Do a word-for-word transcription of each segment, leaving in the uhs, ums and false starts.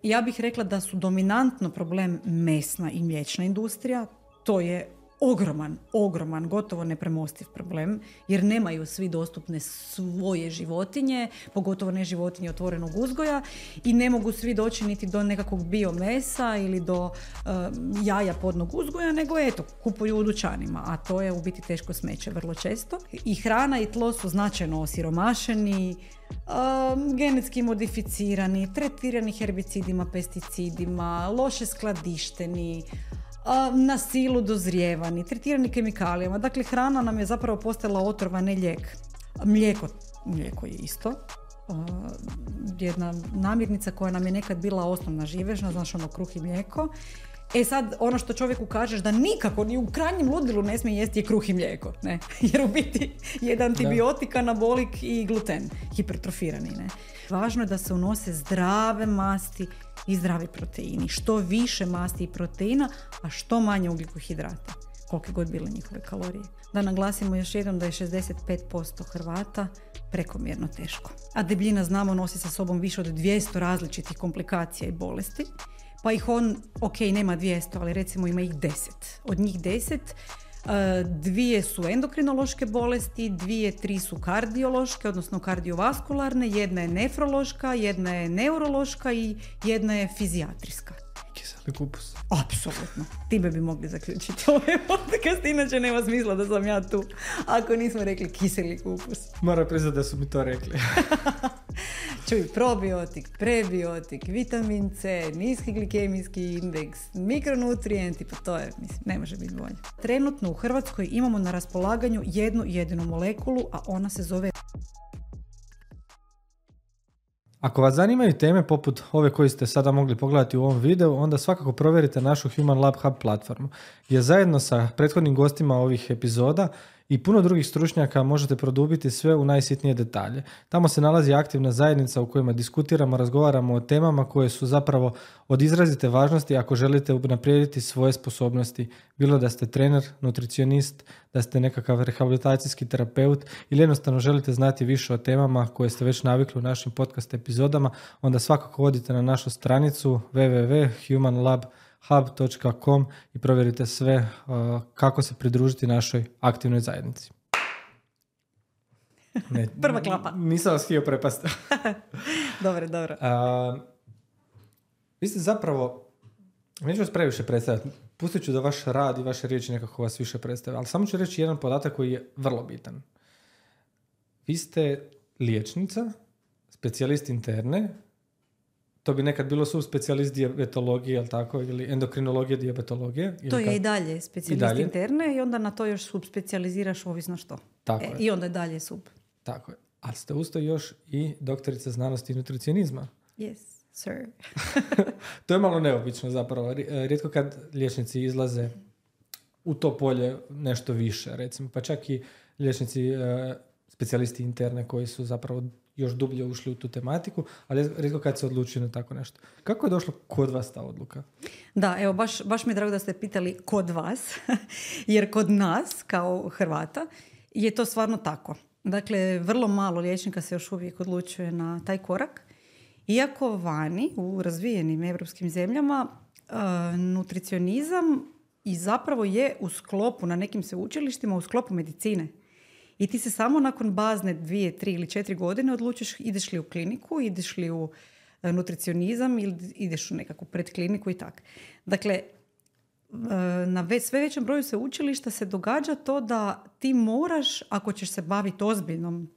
ja bih rekla da su dominantno problem mesna i mliječna industrija. To je ogroman, ogroman, gotovo nepremostiv problem, jer nemaju svi dostupne svoje životinje, pogotovo ne životinje otvorenog uzgoja, i ne mogu svi doći niti do nekakvog biomesa ili do uh, jaja podnog uzgoja, nego eto, kupuju u dućanima, a to je u biti teško smeće vrlo često. I hrana i tlo su značajno osiromašeni, uh, genetski modificirani, tretirani herbicidima, pesticidima, loše skladišteni, na silu dozrijevani, tretirani kemikalijama. Dakle, hrana nam je zapravo postala otrova, ne lijek. Mlijeko, mlijeko je isto. Uh, jedna namirnica koja nam je nekad bila osnovna živežna, znaš, ono, kruh i mlijeko. E sad, ono što čovjeku kažeš da nikako, ni u krajnjem ludilu ne smije jesti je kruh i mlijeko, ne? Jer u biti je antibiotik, anabolik i gluten, hipertrofirani, ne? Važno je da se unose zdrave masti i zdravi proteini. Što više masti i proteina, a što manje ugljikohidrata, kolike god bile njihove kalorije. Da naglasimo još jednom da je šezdeset pet posto Hrvata prekomjerno teško. A debljina, znamo, nosi sa sobom više od dvjesto različitih komplikacija i bolesti. Pa ih on, ok, nema dvjesto, ali recimo ima ih deset. Od njih deset, dvije su endokrinološke bolesti, dvije, tri su kardiološke, odnosno kardiovaskularne, jedna je nefrološka, jedna je neurološka i jedna je fizijatrijska. Kiseli kupus. Apsolutno. Time bi mogli zaključiti ovaj podcast, inače nema smisla da sam ja tu, ako nismo rekli kiseli kupus. Moram priznati da su mi to rekli. Čuj, probiotik, prebiotik, vitamin C, niski glikemijski indeks, mikronutrijenti, pa to je, mislim, ne može biti bolje. Trenutno u Hrvatskoj imamo na raspolaganju jednu jedinu molekulu, a ona se zove... Ako vas zanimaju teme poput ove koje ste sada mogli pogledati u ovom videu, onda svakako provjerite našu Human Lab Hub platformu, gdje zajedno sa prethodnim gostima ovih epizoda i puno drugih stručnjaka možete produbiti sve u najsitnije detalje. Tamo se nalazi aktivna zajednica u kojima diskutiramo, razgovaramo o temama koje su zapravo od izrazite važnosti ako želite unaprijediti svoje sposobnosti. Bilo da ste trener, nutricionist, da ste nekakav rehabilitacijski terapeut ili jednostavno želite znati više o temama koje ste već navikli u našim podcast epizodama, onda svakako odite na našu stranicu w w w dot human lab hub dot com i provjerite sve uh, kako se pridružiti našoj aktivnoj zajednici. Ne, prva klapa. Nisam vas htio prepasti. Dobro, dobro. Uh, vi ste zapravo, neću vas previše predstaviti, pustit ću da vaš rad i vaše riječi nekako vas više predstave, ali samo ću reći jedan podatak koji je vrlo bitan. Vi ste liječnica, specijalist interne, to bi nekad bilo subspecijalist dijabetologije, jel tako, ili endokrinologije, dijabetologije. To ili je ka... i dalje specijalist I dalje. interne i onda na to još subspecijaliziraš ovisno što. Tako e, je. I onda je dalje sub. Tako je. Ali ste usto još i doktorica znanosti i nutricionizma. Yes, sir. To je malo neobično zapravo. Rijetko kad liječnici izlaze u to polje nešto više, recimo. Pa čak i liječnici, specijalisti interne koji su zapravo još dublje ušli u tu tematiku, ali rijetko kad se odlučio na tako nešto. Kako je došlo kod vas ta odluka? Da, evo, baš, baš mi je drago da ste pitali kod vas, jer kod nas, kao Hrvata, je to stvarno tako. Dakle, vrlo malo liječnika se još uvijek odlučuje na taj korak. Iako vani, u razvijenim evropskim zemljama, uh, nutricionizam i zapravo je u sklopu, na nekim sveučilištima, u sklopu medicine. I ti se samo nakon bazne dvije, tri ili četiri godine odlučiš ideš li u kliniku, ideš li u nutricionizam ili ideš u nekakvu predkliniku i tak. Dakle, na ve- sve većem broju sveučilišta se događa to da ti moraš, ako ćeš se baviti ozbiljnom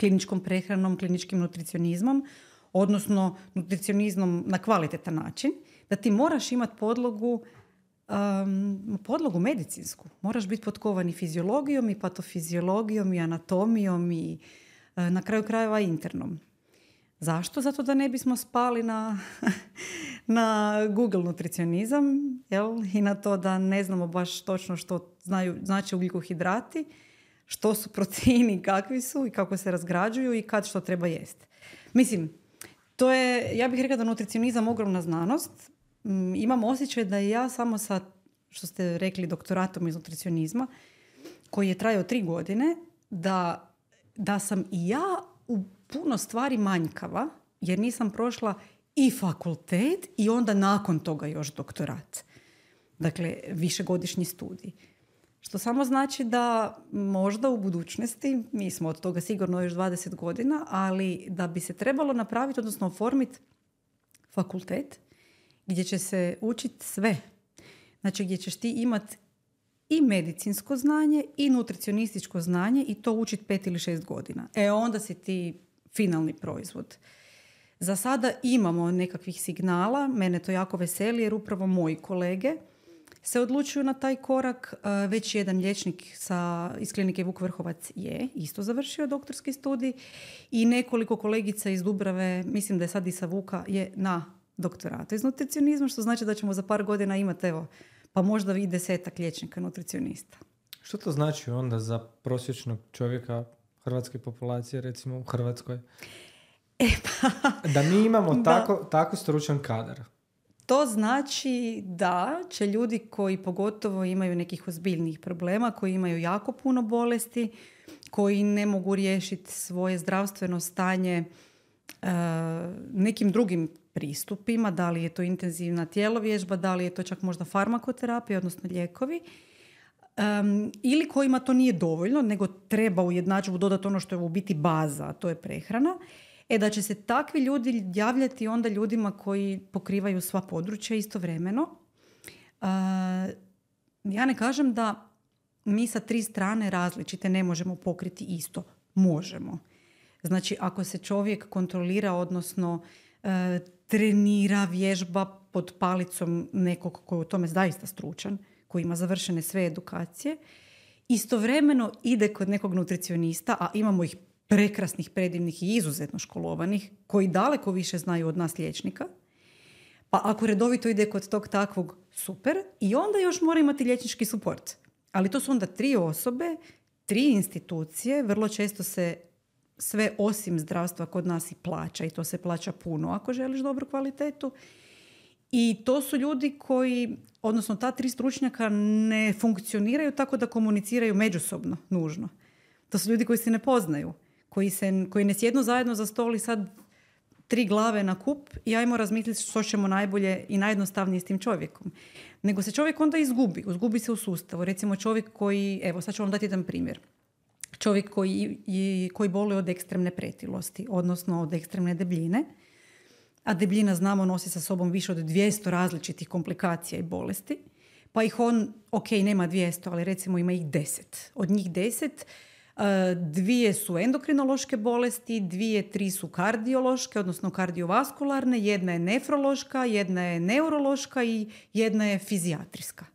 kliničkom prehranom, kliničkim nutricionizmom, odnosno nutricionizmom na kvalitetan način, da ti moraš imati podlogu Um, podlogu medicinsku. Moraš biti potkovan i fiziologijom i patofiziologijom i anatomijom i uh, na kraju krajeva internom. Zašto? Zato da ne bismo spali na, na Google nutricionizam, jel? I na to da ne znamo baš točno što znaju, znači ugljikohidrati, što su proteini, kakvi su i kako se razgrađuju i kad što treba jesti. Mislim, to je, ja bih rekla da nutricionizam ogromna znanost. Imam osjećaj da ja samo sa, što ste rekli, doktoratom iz nutricionizma, koji je trajao tri godine, da, da sam i ja u puno stvari manjkava, jer nisam prošla i fakultet i onda nakon toga još doktorat. Dakle, višegodišnji studij. Što samo znači da možda u budućnosti, mi smo od toga sigurno još dvadeset godina, ali da bi se trebalo napraviti, odnosno oformiti fakultet gdje će se učiti sve. Znači gdje ćeš ti imati i medicinsko znanje i nutricionističko znanje i to učiti pet ili šest godina. E onda si ti finalni proizvod. Za sada imamo nekakvih signala, mene to jako veseli jer upravo moji kolege se odlučuju na taj korak. Već jedan liječnik sa, iz klinike Vuk Vrhovac je isto završio doktorski studij i nekoliko kolegica iz Dubrave, mislim da je sad i sa Vuka, je na doktoratu iz nutricionizma, što znači da ćemo za par godina imati, evo, pa možda i desetak liječnika nutricionista. Što to znači onda za prosječnog čovjeka hrvatske populacije, recimo u Hrvatskoj? E pa, da mi imamo da. tako, tako stručan kadar. To znači da će ljudi koji pogotovo imaju nekih ozbiljnih problema, koji imaju jako puno bolesti, koji ne mogu riješiti svoje zdravstveno stanje uh, nekim drugim pristupima, da li je to intenzivna tjelovježba, da li je to čak možda farmakoterapija, odnosno lijekovi, um, ili kojima to nije dovoljno, nego treba u jednadžbu dodati ono što je u biti baza, a to je prehrana. E da će se takvi ljudi javljati onda ljudima koji pokrivaju sva područja istovremeno. Uh, ja ne kažem da mi sa tri strane različite ne možemo pokriti isto. Možemo. Znači, ako se čovjek kontrolira, odnosno uh, trenira, vježba pod palicom nekog koji je u tome zaista stručan, koji ima završene sve edukacije, istovremeno ide kod nekog nutricionista, a imamo ih prekrasnih, predivnih i izuzetno školovanih, koji daleko više znaju od nas liječnika. Pa ako redovito ide kod tog takvog, super. I onda još mora imati liječnički suport. Ali to su onda tri osobe, tri institucije, vrlo često se sve osim zdravstva kod nas i plaća i to se plaća puno ako želiš dobru kvalitetu. I to su ljudi koji, odnosno ta tri stručnjaka ne funkcioniraju tako da komuniciraju međusobno nužno. To su ljudi koji se ne poznaju. Koji, se, koji ne sjednu zajedno za stol i sad tri glave na kup i ajmo razmisliti što ćemo najbolje i najjednostavnije s tim čovjekom. Nego se čovjek onda izgubi. Izgubi se u sustavu. Recimo čovjek koji, evo sad ću vam dati jedan primjer. Čovjek koji, koji boluje od ekstremne pretilosti, odnosno od ekstremne debljine. A debljina, znamo, nosi sa sobom više od dvjesto različitih komplikacija i bolesti. Pa ih on, ok, nema dvjesto, ali recimo ima ih deset. Od njih deset, dvije su endokrinološke bolesti, dvije, tri su kardiološke, odnosno kardiovaskularne, jedna je nefrološka, jedna je neurološka i jedna je fizijatrijska.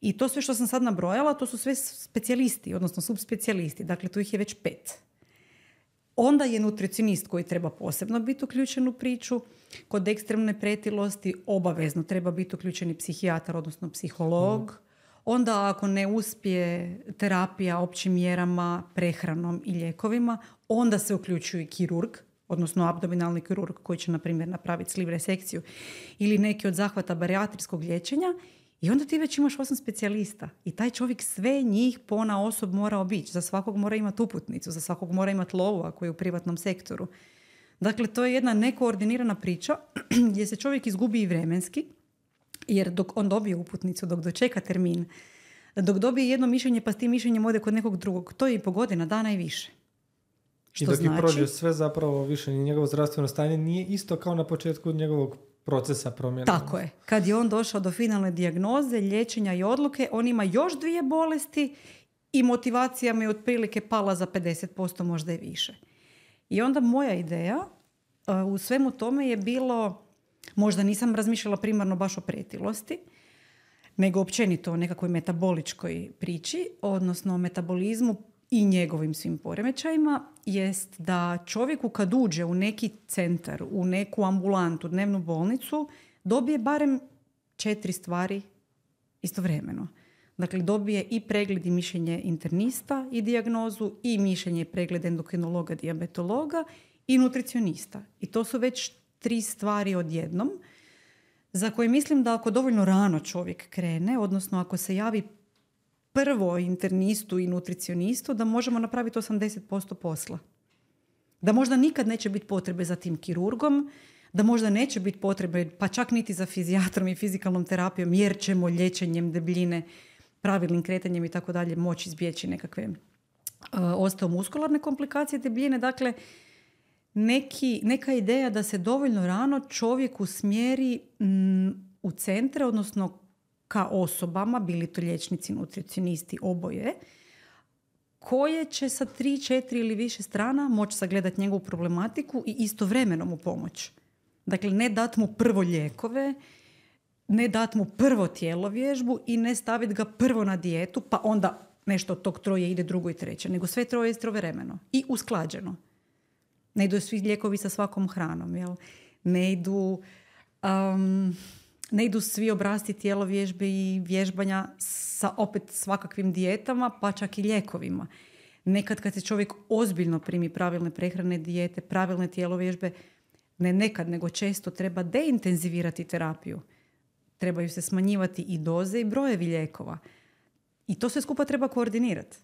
I to sve što sam sad nabrojala, to su sve specijalisti, odnosno subspecijalisti. Dakle, tu ih je već pet. Onda je nutricionist koji treba posebno biti uključen u priču. Kod ekstremne pretilosti obavezno treba biti uključeni psihijatar, odnosno psiholog. Mm. Onda ako ne uspije terapija općim mjerama, prehranom i lijekovima, onda se uključuje i kirurg, odnosno abdominalni kirurg koji će, na primjer, napraviti sliv resekciju ili neki od zahvata barijatrijskog liječenja. I onda ti već imaš osam specijalista. I taj čovjek sve njih pona osob mora obići. Za svakog mora imati uputnicu, za svakog mora imati lovu ako je u privatnom sektoru. Dakle, to je jedna nekoordinirana priča gdje se čovjek izgubi i vremenski, jer dok on dobije uputnicu, dok dočeka termin, dok dobije jedno mišljenje pa s tim mišljenjem ode kod nekog drugog, to je i po godina dana i više. Što I dok znači, je prođe sve zapravo više, njegovo zdravstveno stanje nije isto kao na početku njegovog procesa promjene. Tako je. Kad je on došao do finalne dijagnoze, liječenja i odluke, on ima još dvije bolesti i motivacija mi je otprilike pala za pedeset posto, možda i više. I onda moja ideja uh, u svemu tome je bilo, možda nisam razmišljala primarno baš o pretilosti, nego općenito o nekakvoj metaboličkoj priči, odnosno o metabolizmu i njegovim svim poremećajima, jest da čovjeku kad uđe u neki centar, u neku ambulantu, dnevnu bolnicu, dobije barem četiri stvari istovremeno. Dakle, dobije i pregled i mišljenje internista i dijagnozu, i mišljenje i pregled endokrinologa, dijabetologa i nutricionista. I to su već tri stvari odjednom, za koje mislim da ako dovoljno rano čovjek krene, odnosno ako se javi prvo internistu i nutricionistu, da možemo napraviti osamdeset posto posla. Da možda nikad neće biti potrebe za tim kirurgom, da možda neće biti potrebe, pa čak niti za fizijatrom i fizikalnom terapijom, jer ćemo liječenjem debljine, pravilnim kretanjem i tako dalje moći izbjeći nekakve uh, osteomuskularne komplikacije debljine. Dakle, neki, neka ideja da se dovoljno rano čovjek usmjeri mm, u centre, odnosno ka osobama, bili to liječnici, nutricionisti, oboje, koje će sa tri, četiri ili više strana moći sagledati njegovu problematiku i istovremeno mu pomoći. Dakle, ne dati mu prvo lijekove, ne dati mu prvo tjelovježbu i ne staviti ga prvo na dijetu, pa onda nešto od tog troje ide drugo i treće, nego sve troje istovremeno i usklađeno. Ne idu svi lijekovi sa svakom hranom, jel? Ne idu, um, ne idu svi obrasci tjelovježbe i vježbanja sa opet svakakvim dijetama, pa čak i lijekovima. Nekad kad se čovjek ozbiljno primi pravilne prehrane, dijete, pravilne tjelovježbe, ne nekad, nego često treba deintenzivirati terapiju. Trebaju se smanjivati i doze i brojevi lijekova. I to sve skupa treba koordinirati.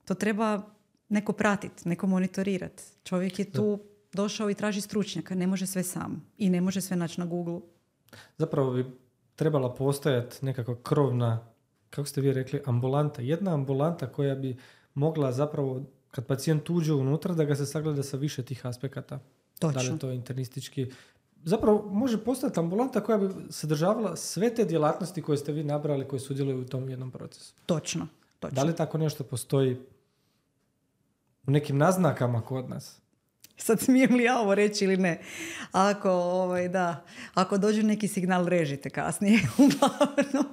To treba neko pratiti, neko monitorirati. Čovjek je tu došao i traži stručnjaka. Ne može sve sam. I ne može sve naći na Google. Zapravo bi trebala postojati nekakva krovna, kako ste vi rekli, ambulanta. Jedna ambulanta koja bi mogla zapravo, kad pacijent uđe unutra, da ga se sagleda sa više tih aspekata. Točno. Da li je to internistički. Zapravo može postojati ambulanta koja bi sadržavala sve te djelatnosti koje ste vi nabrali, koje sudjeluju u tom jednom procesu. Točno. Točno. Da li tako nešto postoji u nekim naznakama kod nas? Sad smijem li ja ovo reći ili ne? Ako, ovaj, da, ako dođe neki signal, režite kasnije. Uglavnom.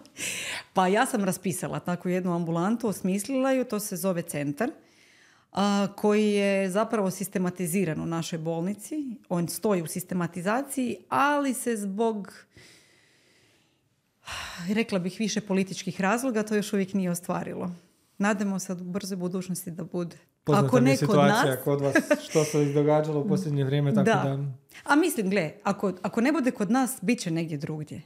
Pa ja sam raspisala takvu jednu ambulantu, osmislila ju, to se zove centar, a, koji je zapravo sistematiziran u našoj bolnici. On stoji u sistematizaciji, ali se zbog, rekla bih, više političkih razloga to još uvijek nije ostvarilo. Nadamo se u brzoj budućnosti da bude. Poznata ako mi je ne kod situacija nas, kod vas, što se izdogađalo u posljednje vrijeme, tako da... da... A mislim, gle, ako, ako ne bude kod nas, bit će negdje drugdje.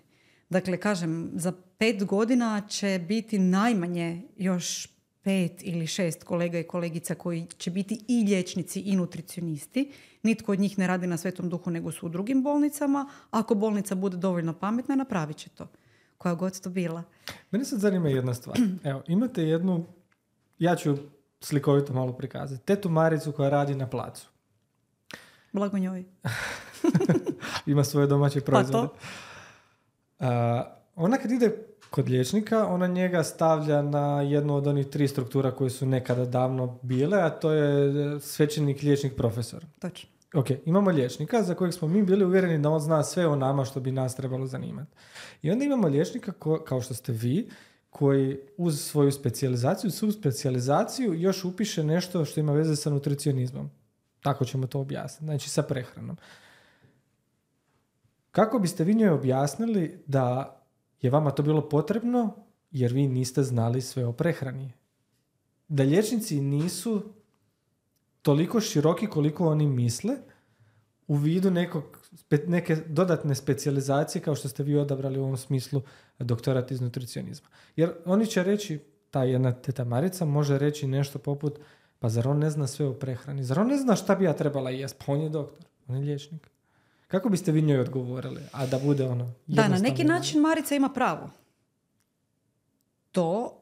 Dakle, kažem, za pet godina će biti najmanje još pet ili šest kolega i kolegica koji će biti i liječnici i nutricionisti. Nitko od njih ne radi na Svetom Duhu, nego su u drugim bolnicama. Ako bolnica bude dovoljno pametna, napravit će to. Koja god to bila. Mene sad zanima jedna stvar. Evo, imate jednu, ja ću slikovito malo prikazati, tetu Maricu koja radi na placu. Blago njoj. Ima svoje domaće proizvode. Pa Uh, ona kad ide kod liječnika, ona njega stavlja na jednu od onih tri struktura koje su nekada davno bile, a to je svećenik, liječnik, profesor. Točno. Ok, imamo liječnika za kojeg smo mi bili uvjereni da on zna sve o nama što bi nas trebalo zanimati. I onda imamo liječnika, ko, kao što ste vi, koji uz svoju specijalizaciju, subspecijalizaciju još upiše nešto što ima veze sa nutricionizmom. Tako ćemo to objasniti. Znači sa prehranom. Kako biste vi njoj objasnili da je vama to bilo potrebno jer vi niste znali sve o prehrani? Da liječnici nisu toliko široki koliko oni misle u vidu nekog, neke dodatne specijalizacije kao što ste vi odabrali u ovom smislu doktorat iz nutricionizma. Jer oni će reći, ta jedna teta Marica može reći nešto poput, pa zar on ne zna sve o prehrani? Zar on ne zna šta bi ja trebala jest? Pa on je doktor, on je liječnik. Kako biste vi njoj odgovorili? A da bude ono... Da, na neki način Marica ima pravo. To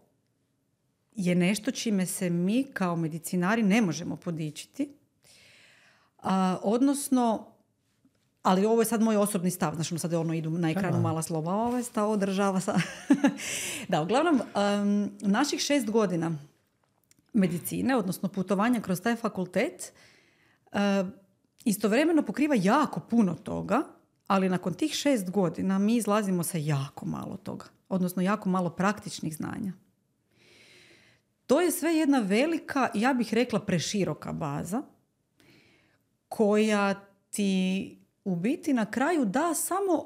je nešto čime se mi kao medicinari ne možemo podičiti. A, odnosno, ali ovo je sad moj osobni stav, znači sad ono idu na ekranu mala slova, ovo je stav održava sa... Da, uglavnom, um, naših šest godina medicine, odnosno putovanja kroz taj fakultet, uh, istovremeno pokriva jako puno toga, ali nakon tih šest godina mi izlazimo sa jako malo toga, odnosno jako malo praktičnih znanja. To je sve jedna velika, ja bih rekla preširoka baza, koja ti u biti na kraju da samo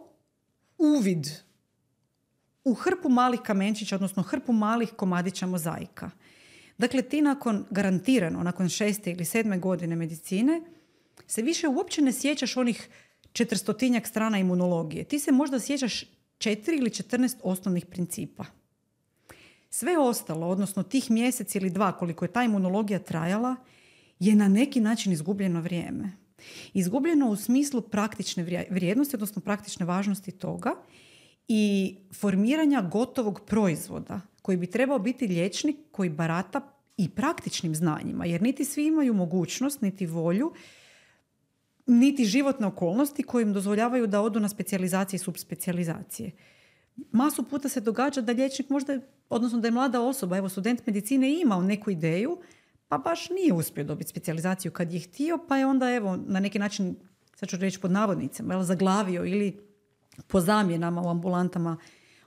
uvid u hrpu malih kamenčića, odnosno hrpu malih komadića mozaika. Dakle, ti nakon, garantirano, nakon šeste ili sedme godine medicine, se više uopće ne sjećaš onih četristotinjak strana imunologije. Ti se možda sjećaš četiri ili četrnaest osnovnih principa. Sve ostalo, odnosno tih mjesec ili dva koliko je ta imunologija trajala, je na neki način izgubljeno vrijeme. Izgubljeno u smislu praktične vrijednosti, odnosno praktične važnosti toga i formiranja gotovog proizvoda koji bi trebao biti liječnik koji barata i praktičnim znanjima, jer niti svi imaju mogućnost, niti volju, niti životne okolnosti koje im dozvoljavaju da odu na specijalizacije i subspecijalizacije. Masu puta se događa da liječnik možda, odnosno da je mlada osoba, evo student medicine imao neku ideju, pa baš nije uspio dobiti specijalizaciju kad je htio, pa je onda evo na neki način, sad ću reći pod navodnicama, jel, zaglavio ili po zamjenama u ambulantama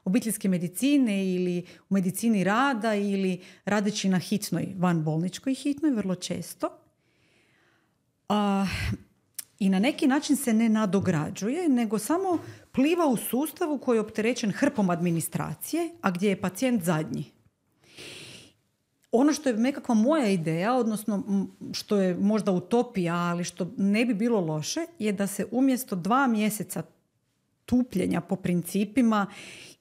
obiteljske medicine ili u medicini rada ili radeći na hitnoj, vanbolničkoj hitnoj, vrlo često. A, I na neki način se ne nadograđuje, nego samo pliva u sustavu koji je opterećen hrpom administracije, a gdje je pacijent zadnji. Ono što je nekakva moja ideja, odnosno što je možda utopija, ali što ne bi bilo loše, je da se umjesto dva mjeseca tupljenja po principima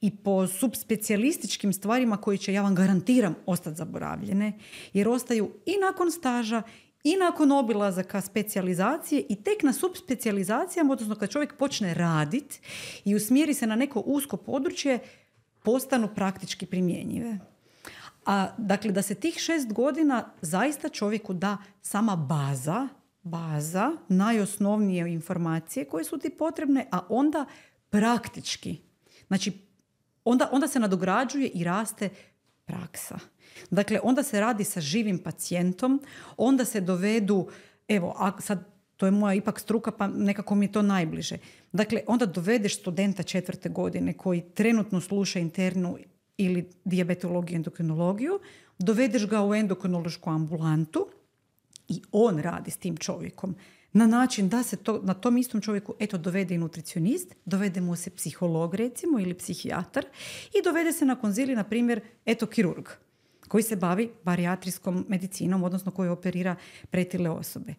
i po subspecijalističkim stvarima koji će, ja vam garantiram, ostati zaboravljene, jer ostaju i nakon staža i nakon obilazaka specijalizacije i tek na subspecijalizacijama, odnosno kad čovjek počne raditi i usmjeri se na neko usko područje, postanu praktički primjenjive. A dakle, da se tih šest godina zaista čovjeku da sama baza, baza, najosnovnije informacije koje su ti potrebne, a onda praktički. Znači, onda, onda se nadograđuje i raste praksa. Dakle, onda se radi sa živim pacijentom, onda se dovedu, evo, a sad to je moja ipak struka, pa nekako mi je to najbliže. Dakle, onda dovedeš studenta četvrte godine koji trenutno sluša internu ili dijabetologiju, endokrinologiju, dovedeš ga u endokrinološku ambulantu i on radi s tim čovjekom na način da se to, na tom istom čovjeku eto dovede i nutricionist, dovede mu se psiholog recimo ili psihijatar i dovede se na konzilij, na primjer, eto kirurg koji se bavi barijatrijskom medicinom, odnosno koji operira pretile osobe.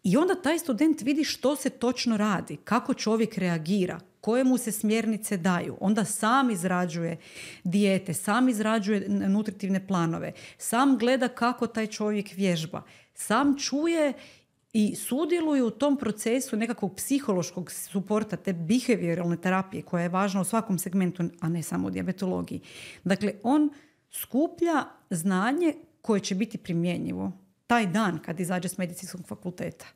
I onda taj student vidi što se točno radi, kako čovjek reagira, koje mu se smjernice daju. Onda sam izrađuje dijete, sam izrađuje nutritivne planove, sam gleda kako taj čovjek vježba, sam čuje i sudjeluje u tom procesu nekakvog psihološkog suporta, te behavioralne terapije koja je važna u svakom segmentu, a ne samo u dijabetologiji. Dakle, on skuplja znanje koje će biti primjenjivo taj dan kad izađe s medicinskog fakulteta.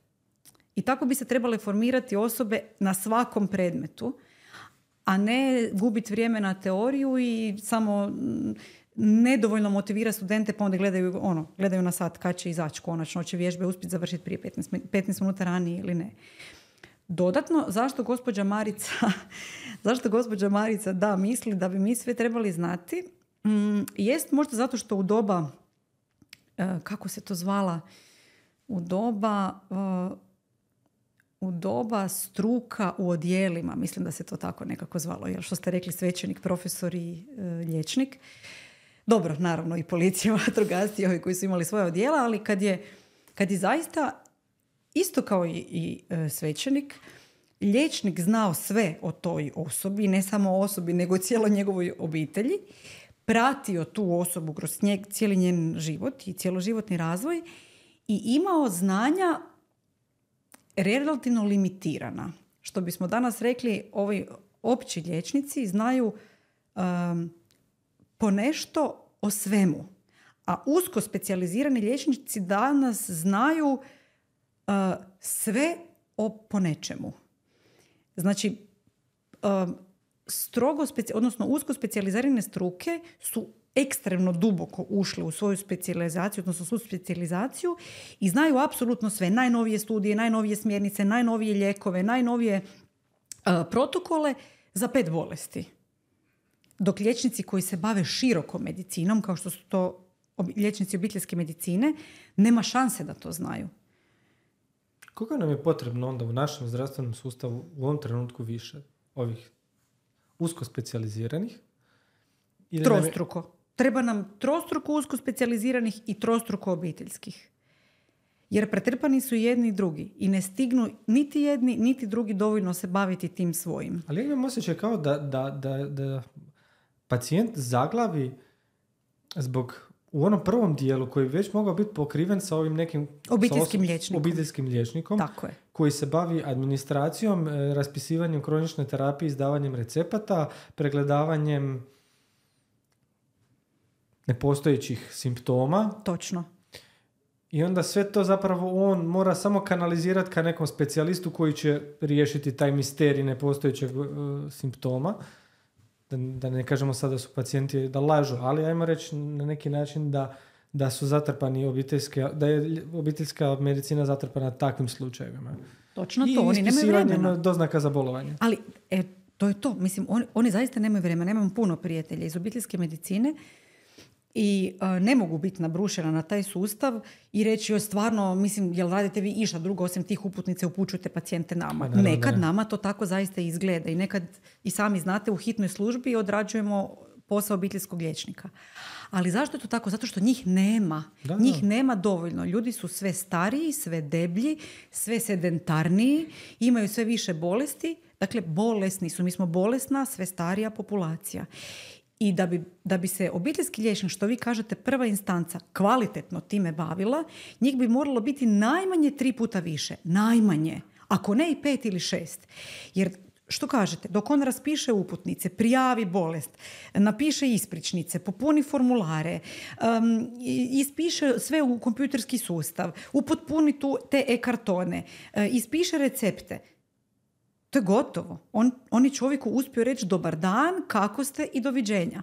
I tako bi se trebale formirati osobe na svakom predmetu, a ne gubiti vrijeme na teoriju i samo nedovoljno motivira studente pa onda gledaju, ono, gledaju na sat kad će izaći konačno, će vježbe uspjeti završiti prije petnaest, petnaest minuta ranije ili ne. Dodatno, zašto gospođa Marica, zašto gospođa Marica da misli da bi mi sve trebali znati, mm, jest možda zato što u doba, kako se to zvala, u doba u doba struka u odjelima, mislim da se to tako nekako zvalo, jer što ste rekli svećenik, profesor i e, liječnik. Dobro, naravno i policija, vatrogasci, ovi koji su imali svoje odjela, ali kad je, kad je zaista, isto kao i, i e, svećenik, liječnik znao sve o toj osobi, ne samo o osobi, nego o cijeloj njegovoj obitelji, pratio tu osobu kroz njeg, cijeli njen život i cjeloživotni razvoj i imao znanja relativno limitirana. Što bismo danas rekli, ovi opći liječnici znaju um, ponešto o svemu. A usko specijalizirani liječnici danas znaju uh, sve o ponečemu. Znači, um, strogo speci- odnosno usko specijalizirane struke su ekstremno duboko ušli u svoju specijalizaciju, odnosno svu specijalizaciju i znaju apsolutno sve. Najnovije studije, najnovije smjernice, najnovije lijekove, najnovije uh, protokole za pet bolesti. Dok liječnici koji se bave široko medicinom, kao što su to ob- liječnici obiteljske medicine, nema šanse da to znaju. Koga nam je potrebno onda u našem zdravstvenom sustavu u ovom trenutku više ovih usko specijaliziranih? Trostruko. Je... Treba nam trostruko usko specijaliziranih i trostruko obiteljskih. Jer pretrpani su jedni i drugi i ne stignu niti jedni, niti drugi dovoljno se baviti tim svojim. Ali ja imam osjećaj kao da, da, da, da pacijent zaglavi zbog u onom prvom dijelu koji već mogao biti pokriven sa ovim nekim obiteljskim sa liječnikom. obiteljskim liječnikom Tako je. koji se bavi administracijom, e, raspisivanjem kronične terapije, izdavanjem recepata, pregledavanjem nepostojećih simptoma. Točno. I onda sve to zapravo on mora samo kanalizirati ka nekom specijalistu koji će riješiti taj misterij nepostojećeg uh, simptoma. Da, da ne kažemo sada da su pacijenti da lažu, ali ajmo reći na neki način da, da su zatrpani obiteljske, da je obiteljska medicina zatrpana takvim slučajevima. Točno I to, oni nemaju vremena. I ispisivanjem doznaka za bolovanje. Ali, e, to je to. Mislim, oni, oni zaista nemaju vremena. Nemam puno prijatelja iz obiteljske medicine i a, ne mogu biti nabrušena na taj sustav i reći joj stvarno, mislim, jel radite vi išta drugo osim tih uputnice, upućujete pacijente nama. Naravno, nekad ne. nama to tako zaista izgleda i nekad i sami znate u hitnoj službi odrađujemo posao obiteljskog liječnika. Ali zašto je to tako? Zato što njih nema. Da, njih da. nema dovoljno. Ljudi su sve stariji, sve deblji, sve sedentarniji, imaju sve više bolesti. Dakle, bolesni su. Mi smo bolesna, sve starija populacija. I da bi, da bi se obiteljski liječnik, što vi kažete, prva instanca kvalitetno time bavila, njih bi moralo biti najmanje tri puta više. Najmanje. Ako ne i pet ili šest. Jer što kažete, dok on raspiše uputnice, prijavi bolest, napiše ispričnice, popuni formulare, um, ispiše sve u kompjuterski sustav, upotpuni tu te e-kartone, uh, ispiše recepte, to je gotovo. On, on je čovjeku uspio reći dobar dan, kako ste i doviđenja.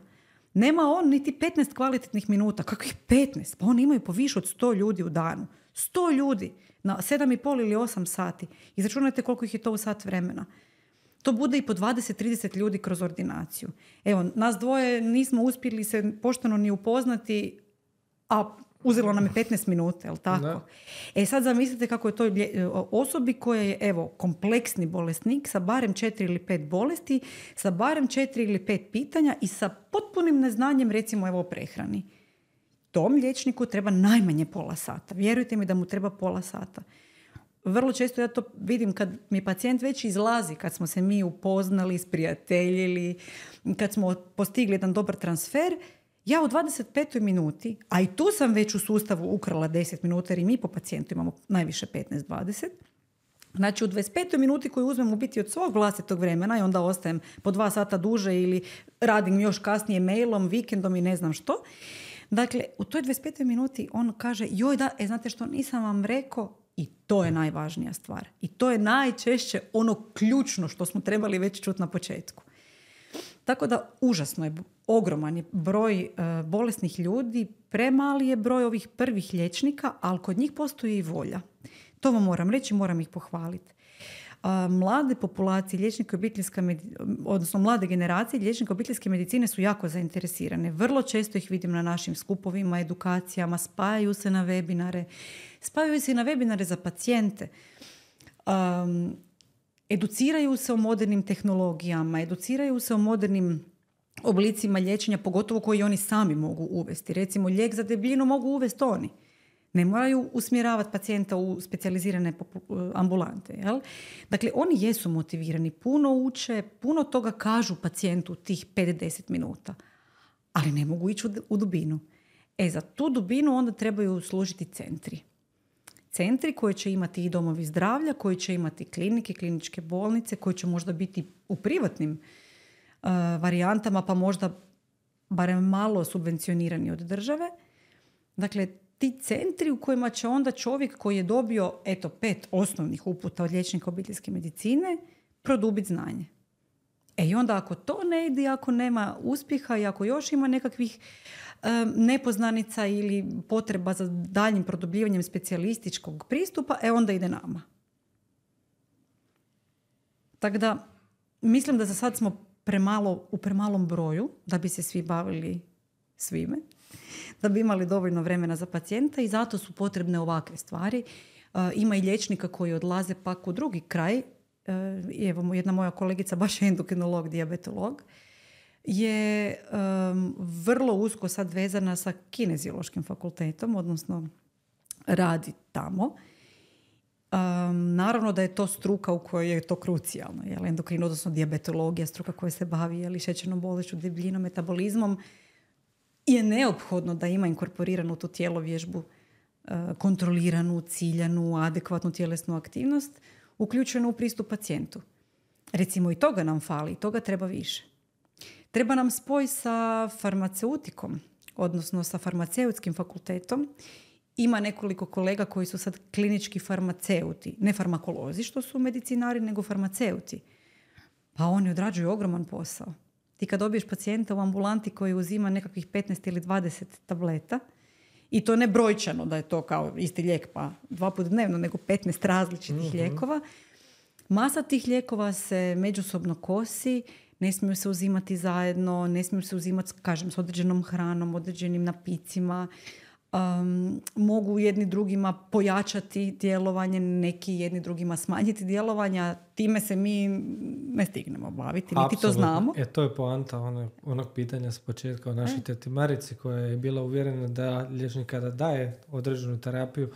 Nema on niti petnaest kvalitetnih minuta. Kakvih petnaest? Pa oni imaju po više od sto ljudi u danu. sto ljudi na sedam i pol ili osam sati. Izračunajte koliko ih je to u sat vremena. To bude i po dvadeset do trideset ljudi kroz ordinaciju. Evo, nas dvoje nismo uspjeli se pošteno ni upoznati, a uzelo nam je petnaest minuta, jel tako? Da. E sad zamislite kako je to osobi koja je, evo, kompleksni bolesnik sa barem četiri ili pet bolesti, sa barem četiri ili pet pitanja i sa potpunim neznanjem, recimo, evo, o prehrani. Tom liječniku treba najmanje pola sata. Vjerujte mi da mu treba pola sata. Vrlo često ja to vidim kad mi pacijent već izlazi, kad smo se mi upoznali, sprijateljili, kad smo postigli jedan dobar transfer, ja u dvadeset petoj minuti, a i tu sam već u sustavu ukrala deset minuta jer i mi po pacijentu imamo najviše petnaest do dvadeset. Znači u dvadeset petoj minuti koju uzmem u biti od svog vlastitog vremena i onda ostajem po dva sata duže ili radim još kasnije mailom, vikendom i ne znam što. Dakle, u toj dvadeset petoj minuti on kaže, joj da, e, znate što, nisam vam rekao, i to je najvažnija stvar. I to je najčešće ono ključno što smo trebali već čuti na početku. Tako da užasno je, ogroman je broj uh, bolesnih ljudi, premali je broj ovih prvih liječnika, ali kod njih postoji i volja. To vam moram reći, moram ih pohvaliti. Uh, mlade populacije liječnika obiteljska med... odnosno mlade generacije liječnika obiteljske medicine su jako zainteresirane. Vrlo često ih vidim na našim skupovima, edukacijama, spajaju se na webinare. Spajaju se i na webinare za pacijente. Um, educiraju se o modernim tehnologijama, educiraju se o modernim oblicima liječenja, pogotovo koji oni sami mogu uvesti. Recimo, lijek za debljinu mogu uvesti oni. Ne moraju usmjeravati pacijenta u specijalizirane ambulante. Jel? Dakle, oni jesu motivirani, puno uče, puno toga kažu pacijentu tih pet do deset minuta. Ali ne mogu ići u dubinu. E, za tu dubinu onda trebaju služiti centri. Centri koji će imati i domovi zdravlja, koji će imati klinike, kliničke bolnice, koji će možda biti u privatnim uh, varijantama, pa možda barem malo subvencionirani od države. Dakle, ti centri u kojima će onda čovjek koji je dobio eto, pet osnovnih uputa od liječnika obiteljske medicine produbiti znanje. E i onda ako to ne ide, ako nema uspjeha i ako još ima nekakvih um, nepoznanica ili potreba za daljnjim produbljivanjem specijalističkog pristupa, e onda ide nama. Tako da mislim da za sad smo premalo, u premalom broju da bi se svi bavili svime, da bi imali dovoljno vremena za pacijenta i zato su potrebne ovakve stvari. Uh, ima i liječnika koji odlaze pak u drugi kraj. Uh, evo, jedna moja kolegica, baš je endokrinolog, dijabetolog, je um, vrlo usko sad vezana sa kineziološkim fakultetom, odnosno radi tamo. Um, naravno da je to struka u kojoj je to krucijalno. Jel? Endokrin, odnosno dijabetologija, struka koja se bavi jel, šećernom bolešću, debljinom, metabolizmom. je neophodno da ima inkorporiranu tu tjelovježbu, kontroliranu, ciljanu, adekvatnu tjelesnu aktivnost, uključenu u pristup pacijentu. Recimo i toga nam fali, toga treba više. Treba nam spoj sa farmaceutikom, odnosno sa farmaceutskim fakultetom. Ima nekoliko kolega koji su sad klinički farmaceuti, ne farmakolozi što su medicinari, nego farmaceuti. Pa oni odrađuju ogroman posao. Ti kad dobiješ pacijenta u ambulanti koji uzima nekakvih petnaest ili dvadeset tableta, i to ne brojčano da je to kao isti lijek pa dva put dnevno, nego petnaest različitih mm-hmm. lijekova. Masa tih lijekova se međusobno kosi, ne smiju se uzimati zajedno, ne smiju se uzimati, kažem, s određenom hranom, određenim napicima. Um, mogu jedni drugima pojačati djelovanje, neki jedni drugima smanjiti djelovanja. Time se mi ne stignemo baviti, niti to znamo. E, to je poanta onog, onog pitanja s početka o našoj e. teti Marici, koja je bila uvjerena da liječnik kada daje određenu terapiju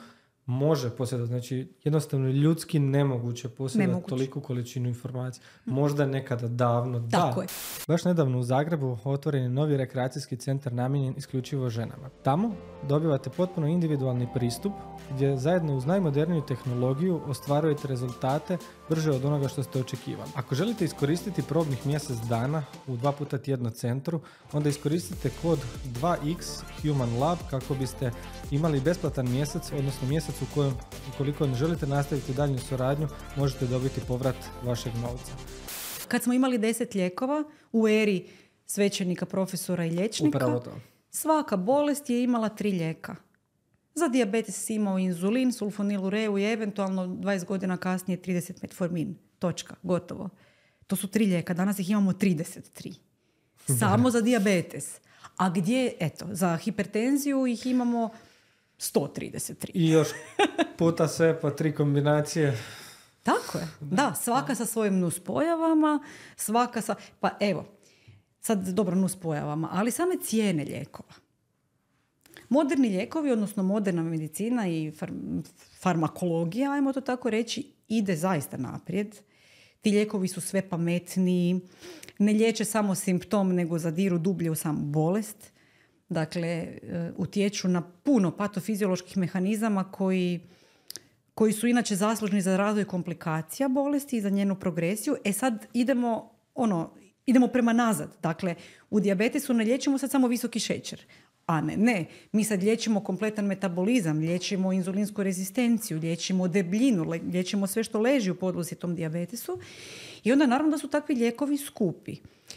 može posjedati. Znači, jednostavno ljudski nemoguće posjedati toliku količinu informacija. Možda nekada davno, Tako da. Je. Baš nedavno u Zagrebu otvoren je novi rekreacijski centar namijenjen isključivo ženama. Tamo dobivate potpuno individualni pristup gdje zajedno uz najmoderniju tehnologiju ostvarujete rezultate brže od onoga što ste očekivali. Ako želite iskoristiti probnih mjesec dana u dva puta tjedno centru, onda iskoristite kod dva iks Human Lab kako biste imali besplatan mjesec, odnosno mjesec u kojem, ukoliko ne želite nastaviti daljnju suradnju, možete dobiti povrat vašeg novca. Kad smo imali deset lijekova u eri svećenika, profesora i liječnika, svaka bolest je imala tri lijeka. Za dijabetes si imao inzulin, sulfonilureu i eventualno dvadeset godina kasnije trideset metformin. Točka, gotovo. To su tri lijeka, danas ih imamo trideset tri. Samo za dijabetes. A gdje, eto, za hipertenziju ih imamo sto trideset tri. I još puta sve pa tri kombinacije. Tako je. Da, svaka sa svojim nuspojavama, svaka sa... Pa evo, sad dobro nuspojavama, ali same cijene lijekova. Moderni lijekovi, odnosno moderna medicina i far- farmakologija, ajmo to tako reći, ide zaista naprijed. Ti lijekovi su sve pametniji, ne liječe samo simptom, nego zadiru dublje u samu bolest. Dakle, utječu na puno patofizioloških mehanizama koji, koji su inače zaslužni za razvoj komplikacija bolesti i za njenu progresiju. E sad idemo, ono, idemo prema nazad. Dakle, u dijabetesu ne liječimo sad samo visoki šećer. A ne, ne. Mi sad liječimo kompletan metabolizam, liječimo inzulinsku rezistenciju, liječimo debljinu, liječimo sve što leži u podlozi tom dijabetesu. I onda naravno da su takvi lijekovi skupi.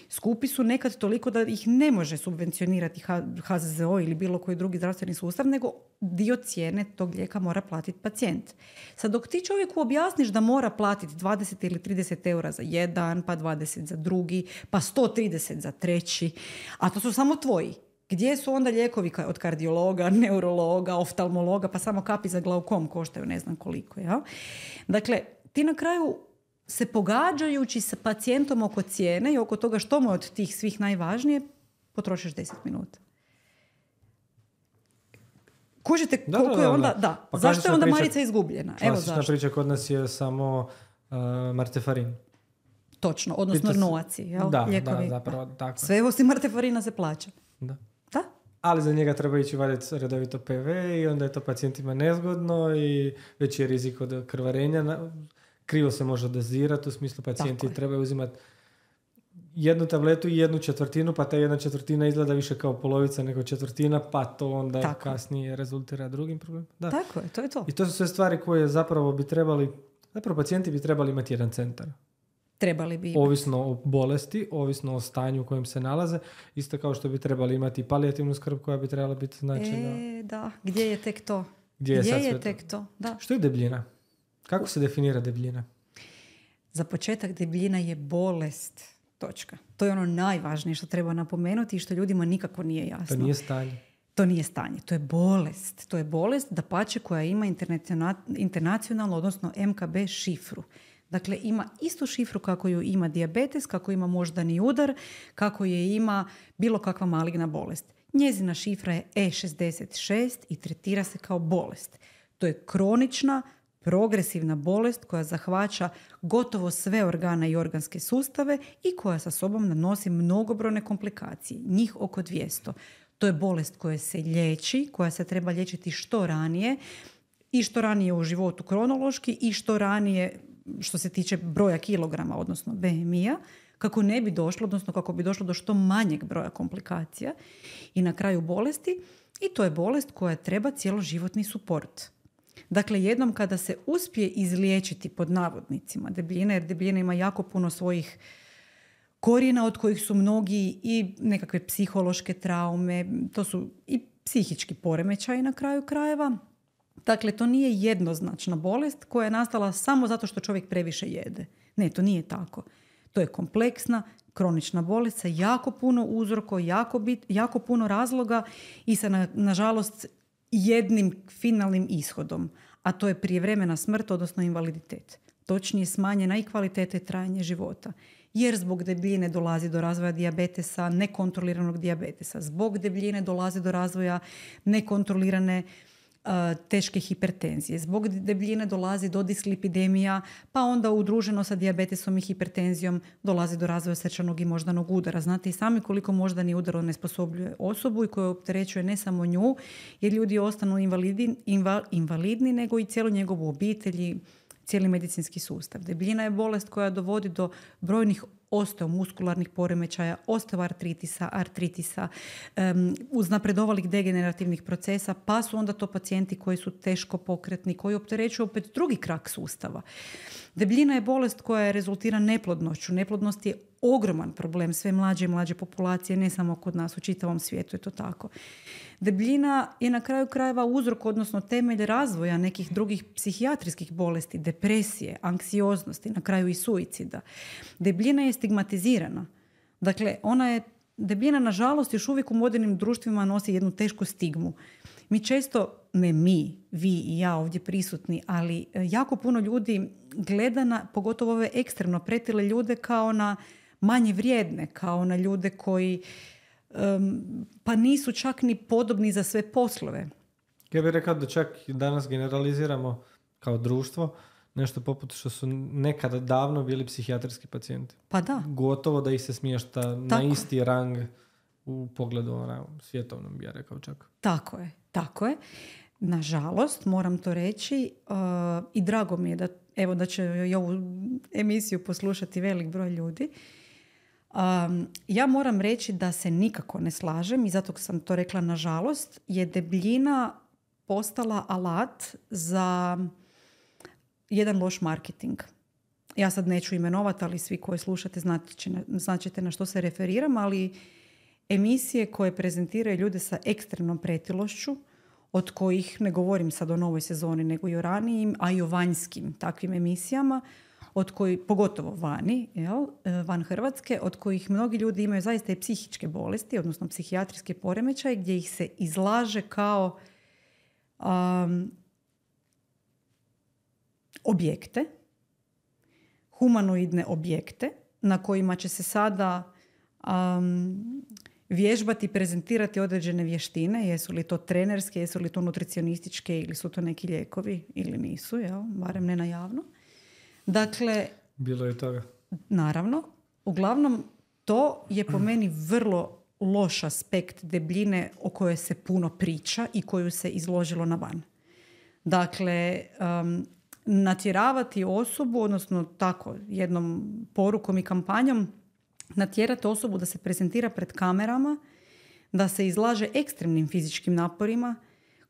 Skupi su nekad toliko da ih ne može subvencionirati ha ze ze o ili bilo koji drugi zdravstveni sustav, nego dio cijene tog lijeka mora platiti pacijent. Sad dok ti čovjeku objasniš da mora platiti dvadeset ili trideset eura za jedan, pa dvadeset za drugi, pa sto trideset za treći, a to su samo tvoji. Gdje su onda lijekovi od kardiologa, neurologa, oftalmologa, pa samo kapi za glaukom koštaju ne znam koliko. Ja? Dakle, ti na kraju se pogađajući sa pacijentom oko cijene i oko toga što mu je od tih svih najvažnije, potrošiš deset minuta. Kužite koliko da, da, da, je onda... Da. Pa zašto je onda priča, Marica izgubljena? Evo zašto. Klasična priča kod nas je samo uh, martefarin. Točno, odnosno Pitas, novaci. Jel? Da, lijekovi. da, zapravo. Tako. Sve osim martefarina se plaća. Da. Da? Ali za njega treba ići vaditi redovito pe ve i onda je to pacijentima nezgodno i veći je rizik od krvarenja. Krivo se može dozirati, u smislu pacijenti trebaju uzimati jednu tabletu i jednu četvrtinu, pa ta jedna četvrtina izgleda više kao polovica nego četvrtina, pa to onda Tako. kasnije rezultira drugim problemom. Da. Tako je, to je to. I to su sve stvari koje zapravo bi trebali, zapravo pacijenti bi trebali imati jedan centar. Trebali bi imati. Ovisno o bolesti, ovisno o stanju u kojem se nalaze, isto kao što bi trebali imati palijativnu skrb koja bi trebala biti značajna. E, da, gdje je tek to? Gdje je, gdje sad je tek to? Da. Što je debljina? Kako se definira debljina? Za početak debljina je bolest. Točka. To je ono najvažnije što treba napomenuti i što ljudima nikako nije jasno. To nije stanje. To nije stanje, to je bolest. To je bolest dapače koja ima internacionalno, odnosno em ka be šifru. Dakle, ima istu šifru kako ju ima dijabetes, kako ima moždani udar, kako je ima bilo kakva maligna bolest. Njezina šifra je e šezdeset šest i tretira se kao bolest. To je kronična, progresivna bolest koja zahvaća gotovo sve organe i organske sustave i koja sa sobom nanosi mnogobrojne komplikacije, njih oko dvjesto. To je bolest koja se liječi, koja se treba liječiti što ranije i što ranije u životu kronološki i što ranije što se tiče broja kilograma, odnosno B M I-a, kako ne bi došlo, odnosno kako bi došlo do što manjeg broja komplikacija i na kraju bolesti. I to je bolest koja treba cjeloživotni suport. Dakle, jednom kada se uspije izliječiti pod navodnicima debljina, jer debljina ima jako puno svojih korijena od kojih su mnogi i nekakve psihološke traume, to su i psihički poremećaji na kraju krajeva. Dakle, to nije jednoznačna bolest koja je nastala samo zato što čovjek previše jede. Ne, to nije tako. To je kompleksna, kronična bolest sa jako puno uzroko, jako, bit, jako puno razloga i sa, na, nažalost, jednim finalnim ishodom, a to je prijevremena smrt, odnosno invaliditet. Točnije smanjena i kvaliteta i trajanje života. Jer zbog debljine dolazi do razvoja dijabetesa, nekontroliranog dijabetesa. Zbog debljine dolazi do razvoja nekontrolirane uh, teške hipertenzije. Zbog debljine dolazi do dislipidemija, pa onda udruženo sa dijabetesom i hipertenzijom dolazi do razvoja srčanog i moždanog udara. Znate i sami koliko moždani udar onesposobljuje osobu i koje opterećuje ne samo nju, jer ljudi ostanu invalidni, inval, invalidni nego i cijelu njegovu obitelj, cijeli medicinski sustav. Debljina je bolest koja dovodi do brojnih osteomuskularnih poremećaja, osteoartritisa, artritisa, um, uznapredovalih degenerativnih procesa, pa su onda to pacijenti koji su teško pokretni, koji opterećuju opet drugi krak sustava. Debljina je bolest koja rezultira neplodnošću. Neplodnost je ogroman problem sve mlađe i mlađe populacije, ne samo kod nas, u čitavom svijetu je to tako. Debljina je na kraju krajeva uzrok, odnosno temelj razvoja nekih drugih psihijatrijskih bolesti, depresije, anksioznosti, na kraju i suicida. Debljina je stigmatizirana. Dakle, ona je, debljina, nažalost, još uvijek u modernim društvima nosi jednu tešku stigmu. Mi često, ne mi, vi i ja ovdje prisutni, ali jako puno ljudi gleda na, pogotovo ove ekstremno pretile ljude, kao na manje vrijedne, kao na ljude koji um, pa nisu čak ni podobni za sve poslove. Ja bih rekao da čak danas generaliziramo kao društvo nešto poput što su nekada davno bili psihijatrijski pacijenti. Pa da. Gotovo da ih se smješta Tako. na isti rang u pogledu ona, svjetovnom, bi ja rekao čak. Tako je, tako je. Nažalost, moram to reći uh, i drago mi je da, evo, da će i ovu emisiju poslušati velik broj ljudi. Um, ja moram reći da se nikako ne slažem i zato sam to rekla nažalost, je debljina postala alat za jedan loš marketing. Ja sad neću imenovati, ali svi koji slušate znaćete na što se referiram, ali emisije koje prezentiraju ljude sa ekstremnom pretilošću, od kojih, ne govorim sad o novoj sezoni, nego i o ranijim, a i o vanjskim takvim emisijama, od koji, pogotovo vani, jel, van Hrvatske, od kojih mnogi ljudi imaju zaista i psihičke bolesti, odnosno psihijatrijske poremećaje, gdje ih se izlaže kao um, objekte, humanoidne objekte, na kojima će se sada um, vježbati, prezentirati određene vještine, jesu li to trenerske, jesu li to nutricionističke ili su to neki lijekovi ili nisu, jel? Barem ne na javno. Dakle, bilo je toga. Naravno, uglavnom to je po meni vrlo loš aspekt debljine o kojoj se puno priča i koju se izložilo na van. Dakle, um, natjeravati osobu, odnosno tako jednom porukom i kampanjom, natjerati osobu da se prezentira pred kamerama, da se izlaže ekstremnim fizičkim naporima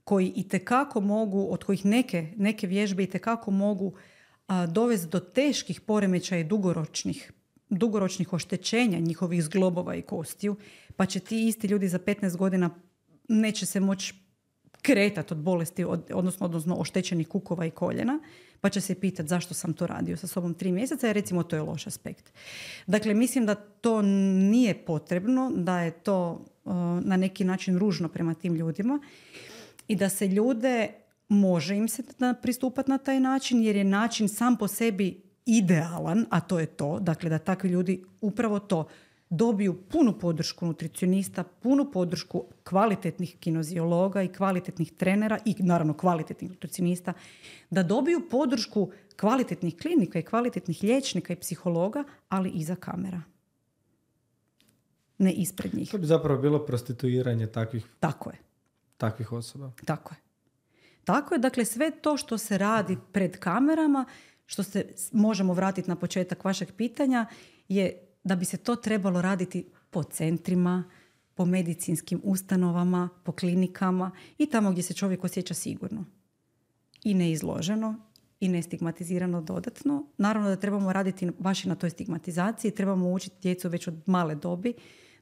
koji itekako mogu, od kojih neke, neke vježbe itekako mogu a, dovesti do teških poremećaja i dugoročnih, dugoročnih oštećenja njihovih zglobova i kostiju, pa će ti isti ljudi za petnaest godina neće se moći kretati od bolesti, od, odnosno, odnosno oštećenih kukova i koljena, pa će se pitati zašto sam to radio sa sobom tri mjeseca, jer recimo to je loš aspekt. Dakle, mislim da to nije potrebno, da je to uh, na neki način ružno prema tim ljudima i da se ljude može im se pristupati na taj način, jer je način sam po sebi idealan, a to je to, dakle da takvi ljudi upravo to dobiju punu podršku nutricionista, punu podršku kvalitetnih kineziologa i kvalitetnih trenera i naravno kvalitetnih nutricionista, da dobiju podršku kvalitetnih klinika i kvalitetnih liječnika i psihologa, ali i za kamera. ne ispred njih. To bi zapravo bilo prostituiranje takvih, Tako je. takvih osoba. Tako je. Tako je, dakle sve to što se radi pred kamerama, što se možemo vratiti na početak vašeg pitanja, je da bi se to trebalo raditi po centrima, po medicinskim ustanovama, po klinikama i tamo gdje se čovjek osjeća sigurno. I neizloženo, i nestigmatizirano dodatno. Naravno da trebamo raditi baš i na toj stigmatizaciji, trebamo učiti djecu već od male dobi,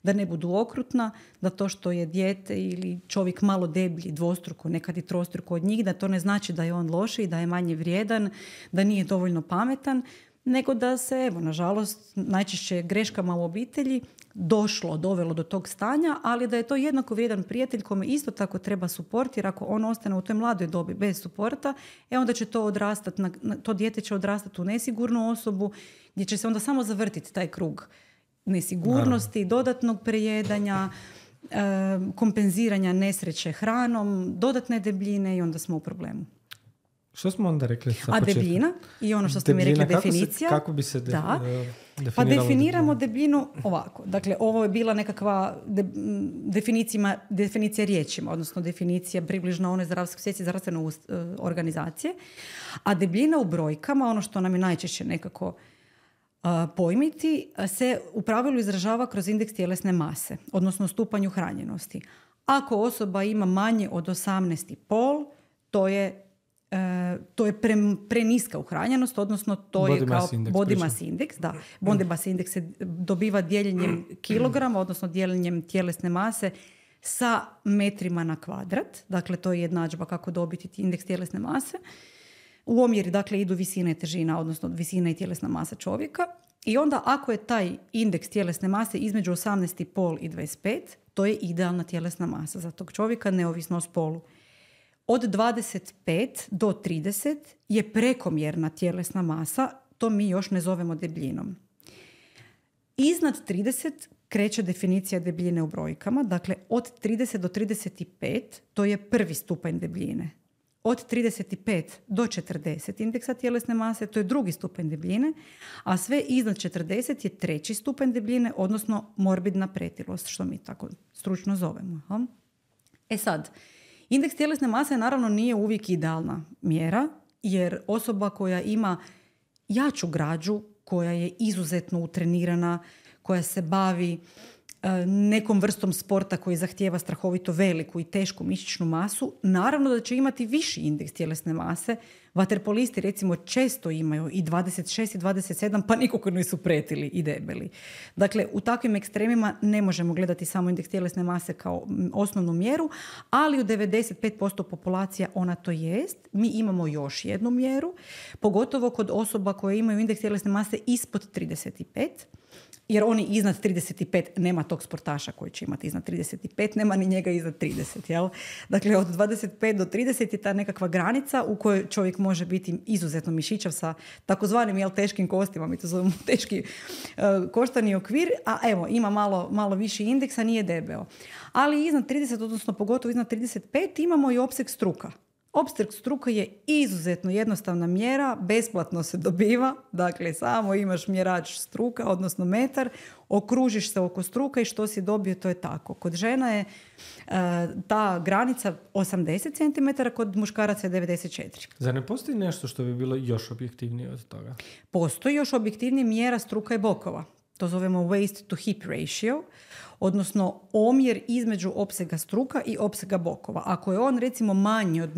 da ne budu okrutna, da to što je dijete ili čovjek malo deblji, dvostruko, nekad i trostruko od njih, da to ne znači da je on lošiji, da je manje vrijedan, da nije dovoljno pametan, nego da se, evo, nažalost, najčešće greškama u obitelji došlo, dovelo do tog stanja, ali da je to jednako vrijedan prijatelj kome isto tako treba suport, jer ako on ostane u toj mladoj dobi bez suporta, e onda će to odrastati, to dijete će odrastati u nesigurnu osobu, gdje će se onda samo zavrtiti taj krug nesigurnosti, dodatnog prejedanja, e, kompenziranja nesreće hranom, dodatne debljine i onda smo u problemu. Što smo onda rekli? A debljina i ono što ste debljina, mi rekli, kako definicija. Se, kako bi se de, da. definiralo? Pa definiramo debljinu ovako. Dakle, ovo je bila nekakva de, definicija, definicija riječima, odnosno definicija približno one svjetske zdravstvene uh, organizacije. A debljina u brojkama, ono što nam je najčešće nekako uh, pojmiti, se u pravilu izražava kroz indeks tjelesne mase, odnosno stupanj uhranjenosti. Ako osoba ima manje od osamnaest i pol, to je Uh, to je pre, preniska uhranjenost, odnosno to body je kao index, body mass index. Da. Body mass index se dobiva dijeljenjem kilograma, odnosno dijeljenjem tjelesne mase sa metrima na kvadrat. Dakle, to je jednadžba kako dobiti indeks tjelesne mase. U omjeri, dakle, idu visina i težina, odnosno visina i tjelesna masa čovjeka. I onda, ako je taj indeks tjelesne mase između osamnaest i pol i dvadeset pet, to je idealna tjelesna masa za tog čovjeka, neovisno o spolu. Od dvadeset pet do trideset je prekomjerna tjelesna masa, to mi još ne zovemo debljinom. Iznad trideset kreće definicija debljine u brojkama, dakle od trideset do trideset pet to je prvi stupanj debljine. Od trideset pet do četrdeset indeksa tjelesne mase, to je drugi stupanj debljine, a sve iznad četrdeset je treći stupanj debljine, odnosno morbidna pretilost, što mi tako stručno zovemo. E sad, indeks tjelesne mase naravno nije uvijek idealna mjera, jer osoba koja ima jaču građu, koja je izuzetno utrenirana, koja se bavi e, nekom vrstom sporta koji zahtijeva strahovito veliku i tešku mišićnu masu, naravno da će imati viši indeks tjelesne mase. Vaterpolisti recimo često imaju i dvadeset šest i dvadeset sedam, pa nikako nisu pretili i debeli. Dakle, u takvim ekstremima ne možemo gledati samo indeks tjelesne mase kao osnovnu mjeru, ali u devedeset pet posto populacija ona to jest. Mi imamo još jednu mjeru, pogotovo kod osoba koje imaju indeks tjelesne mase ispod trideset pet, jer oni iznad trideset pet, nema tog sportaša koji će imati iznad trideset pet, nema ni njega iznad trideset. Jel? Dakle, od dvadeset pet do trideset je ta nekakva granica u kojoj čovjek može biti izuzetno mišićav sa takozvanim jel, teškim kostima, mi to zovemo teški uh, koštani okvir, a evo, ima malo, malo viši indeks, a nije debeo. Ali iznad trideset, odnosno pogotovo iznad trideset pet, imamo i opseg struka. Opseg struka je izuzetno jednostavna mjera, besplatno se dobiva, dakle samo imaš mjerač struka, odnosno metar, okružiš se oko struka i što si dobio, to je tako. Kod žena je uh, ta granica osamdeset centimetara, kod muškaraca je devedeset četiri. Zar ne postoji nešto što bi bilo još objektivnije od toga? Postoji još objektivnije mjera struka i bokova. To zovemo waist to hip ratio, odnosno omjer između opsega struka i opsega bokova. Ako je on recimo manji od,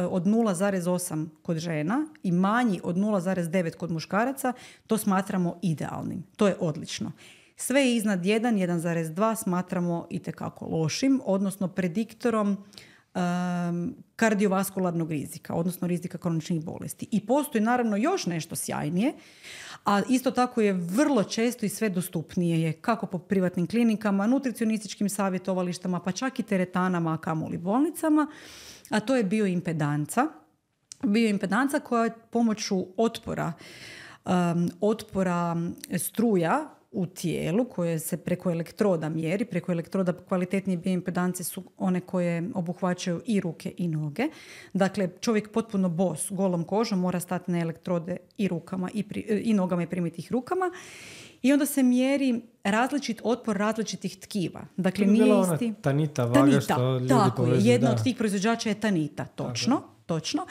od nula zarez osam kod žena i manji od nula zarez devet kod muškaraca, to smatramo idealnim. To je odlično. Sve iznad jedan, jedan zarez dva smatramo itekako lošim, odnosno prediktorom um, kardiovaskularnog rizika, odnosno rizika kroničnih bolesti. I postoji naravno još nešto sjajnije, a isto tako je vrlo često i sve dostupnije je kako po privatnim klinikama, nutricionističkim savjetovalištama, pa čak i teretanama, a kamoli bolnicama, a to je bioimpedanca. Bioimpedanca koja je pomoću otpora, um, otpora struja u tijelu koje se preko elektroda mjeri. Preko elektroda kvalitetnije bioimpedance su one koje obuhvaćaju i ruke i noge. Dakle, čovjek potpuno bos, golom kožom mora stati na elektrode i rukama i, pri, i nogama i primiti ih rukama. i onda se mjeri različit otpor različitih tkiva. Dakle, To bi nije bila ona isti... Tanita vaga Tanita, što ljudi tako je. povezuju, Jedna da. od tih proizvođača je Tanita, točno. Tako. Točno.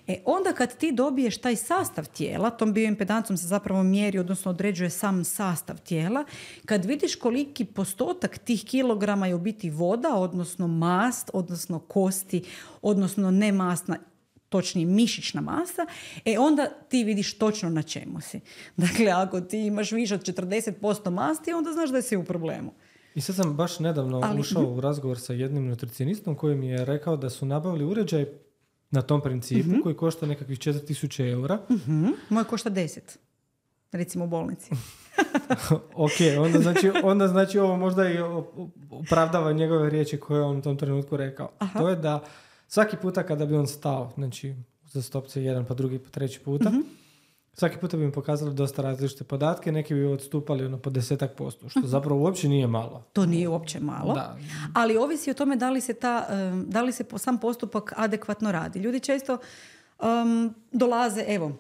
E, onda kad ti dobiješ taj sastav tijela, tom bioimpedancom se zapravo mjeri, odnosno određuje sam sastav tijela, kad vidiš koliki postotak tih kilograma je u biti voda, odnosno mast, odnosno kosti, odnosno nemastna, točnije mišićna masa, e onda ti vidiš točno na čemu si. Dakle, ako ti imaš više od četrdeset posto masti, onda znaš da si u problemu. I sad sam baš nedavno Ali, ušao u razgovor sa jednim nutricionistom koji mi je rekao da su nabavili uređaj na tom principu uh-huh. koji košta nekakvih četiri tisuće eura. Uh-huh. Moje košta deset. Recimo u bolnici. Ok, onda znači, onda znači ovo možda i opravdava njegove riječi koje on u tom trenutku rekao. Aha. To je da svaki puta kada bi on stao, znači za stopce jedan pa drugi pa treći puta, uh-huh. svaki puta bi mi pokazali dosta različite podatke, neki bi odstupali ono po desetak posto, što zapravo uopće nije malo. To nije uopće malo, da. Ali ovisi o tome da li se, ta, da li se sam postupak adekvatno radi. Ljudi često um, dolaze, evo,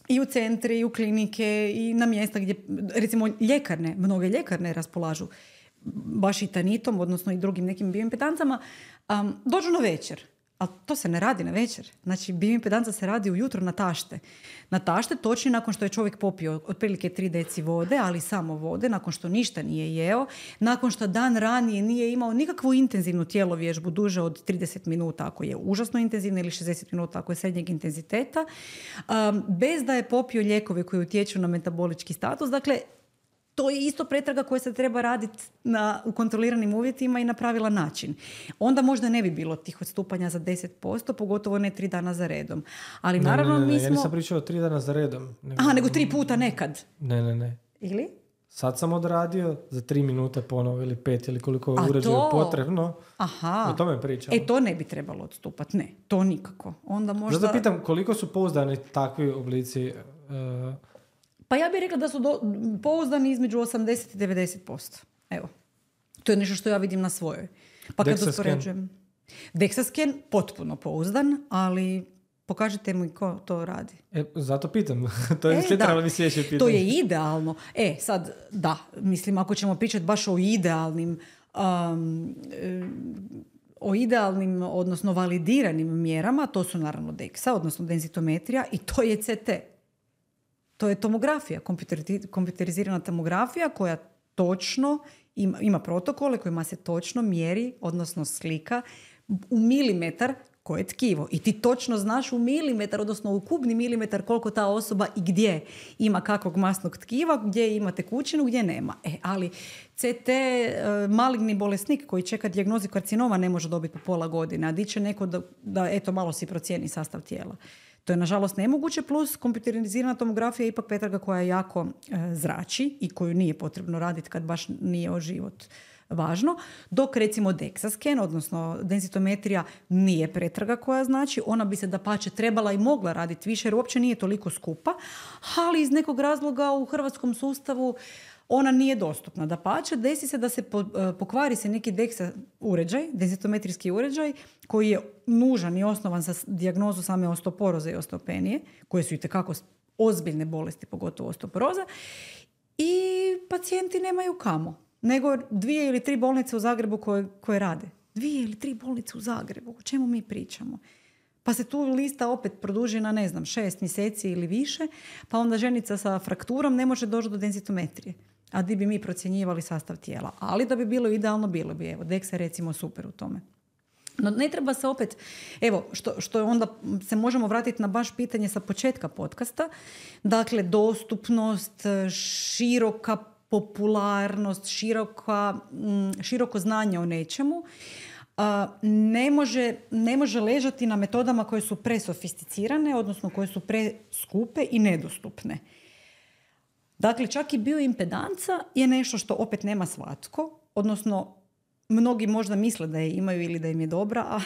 i u centre, i u klinike, i na mjesta gdje, recimo, ljekarne, mnoge ljekarne raspolažu baš i Tanitom, odnosno i drugim nekim bioimpedancama, um, dođu na večer. Ali to se ne radi na večer. Znači, bioimpedanca se radi ujutro na tašte. Na tašte točno nakon što je čovjek popio otprilike tri deci vode, ali samo vode, nakon što ništa nije jeo, nakon što dan ranije nije imao nikakvu intenzivnu tjelovježbu duže od trideset minuta ako je užasno intenzivna ili šezdeset minuta ako je srednjeg intenziteta, um, bez da je popio lijekove koji utječu na metabolički status. Dakle, to je isto pretraga koja se treba raditi na, u kontroliranim uvjetima i na pravilan način. Onda možda ne bi bilo tih odstupanja za deset posto, pogotovo ne tri dana za redom. Ali ne, naravno ne, ne, ne. mi smo... Ja nisam pričao tri dana za redom. Nego... Aha, nego tri puta nekad. Ne, ne, ne. Ili? Sad sam odradio za tri minute ponovo ili pet ili koliko je uređaja to... potrebno. Aha. O tome pričam. E, to ne bi trebalo odstupati. Ne, to nikako. Onda možda... Zato pitam koliko su pouzdani takvi oblici... Uh, Pa ja bih rekla da su do, pouzdani između osamdeset i devedeset posto. Evo. To je nešto što ja vidim na svojoj. Pa kad uspoređujem. Dexascan potpuno pouzdan, ali pokažite mi ko to radi. E, zato pitam. To je e, trebalo mi sljedeće pitanje. To je idealno. E, sad, da, mislim, ako ćemo pričati baš o idealnim um, o idealnim, odnosno validiranim mjerama, to su naravno Dexa, odnosno denzitometrija, i to je C T. To je tomografija, kompjuterizirana tomografija koja točno ima, ima protokole kojima se točno mjeri, odnosno slika u milimetar koje je tkivo. I ti točno znaš u milimetar, odnosno u kubni milimetar koliko ta osoba i gdje ima kakvog masnog tkiva, gdje ima tekućinu, gdje nema. E, ali C T maligni bolesnik koji čeka dijagnozu karcinoma ne može dobiti po pola godine, a di će neko da, da eto malo si procijeni sastav tijela. To je nažalost nemoguće, plus kompjuterizirana tomografija je ipak pretraga koja jako e, zrači i koju nije potrebno raditi kad baš nije o život važno, dok recimo Dexascan, odnosno denzitometrija, nije pretraga koja znači, ona bi se dapače trebala i mogla raditi više jer uopće nije toliko skupa, ali iz nekog razloga u hrvatskom sustavu ona nije dostupna. Dapače, desi se da se po, pokvari se neki Dexa uređaj, denzitometrijski uređaj, koji je nužan i osnovan za dijagnozu same osteoporoze i osteopenije, koje su itekako ozbiljne bolesti, pogotovo osteoporoza, i pacijenti nemaju kamo, nego dvije ili tri bolnice u Zagrebu koje, koje rade. Dvije ili tri bolnice u Zagrebu, o čemu mi pričamo? Pa se tu lista opet produži na, ne znam, šest mjeseci ili više, pa onda ženica sa frakturom ne može doći do denzitometrije. A di bi mi procjenjivali sastav tijela. Ali da bi bilo idealno, bilo bi. Evo, Dexa je recimo super u tome. No ne treba se opet, evo, što, što je onda se možemo vratiti na baš pitanje sa početka podcasta. Dakle, dostupnost, široka popularnost, široka, široko znanje o nečemu ne može, ne može ležati na metodama koje su presofisticirane, odnosno koje su preskupe i nedostupne. Dakle, čak i bioimpedanca je nešto što opet nema svatko, odnosno mnogi možda misle da je imaju ili da im je dobra, a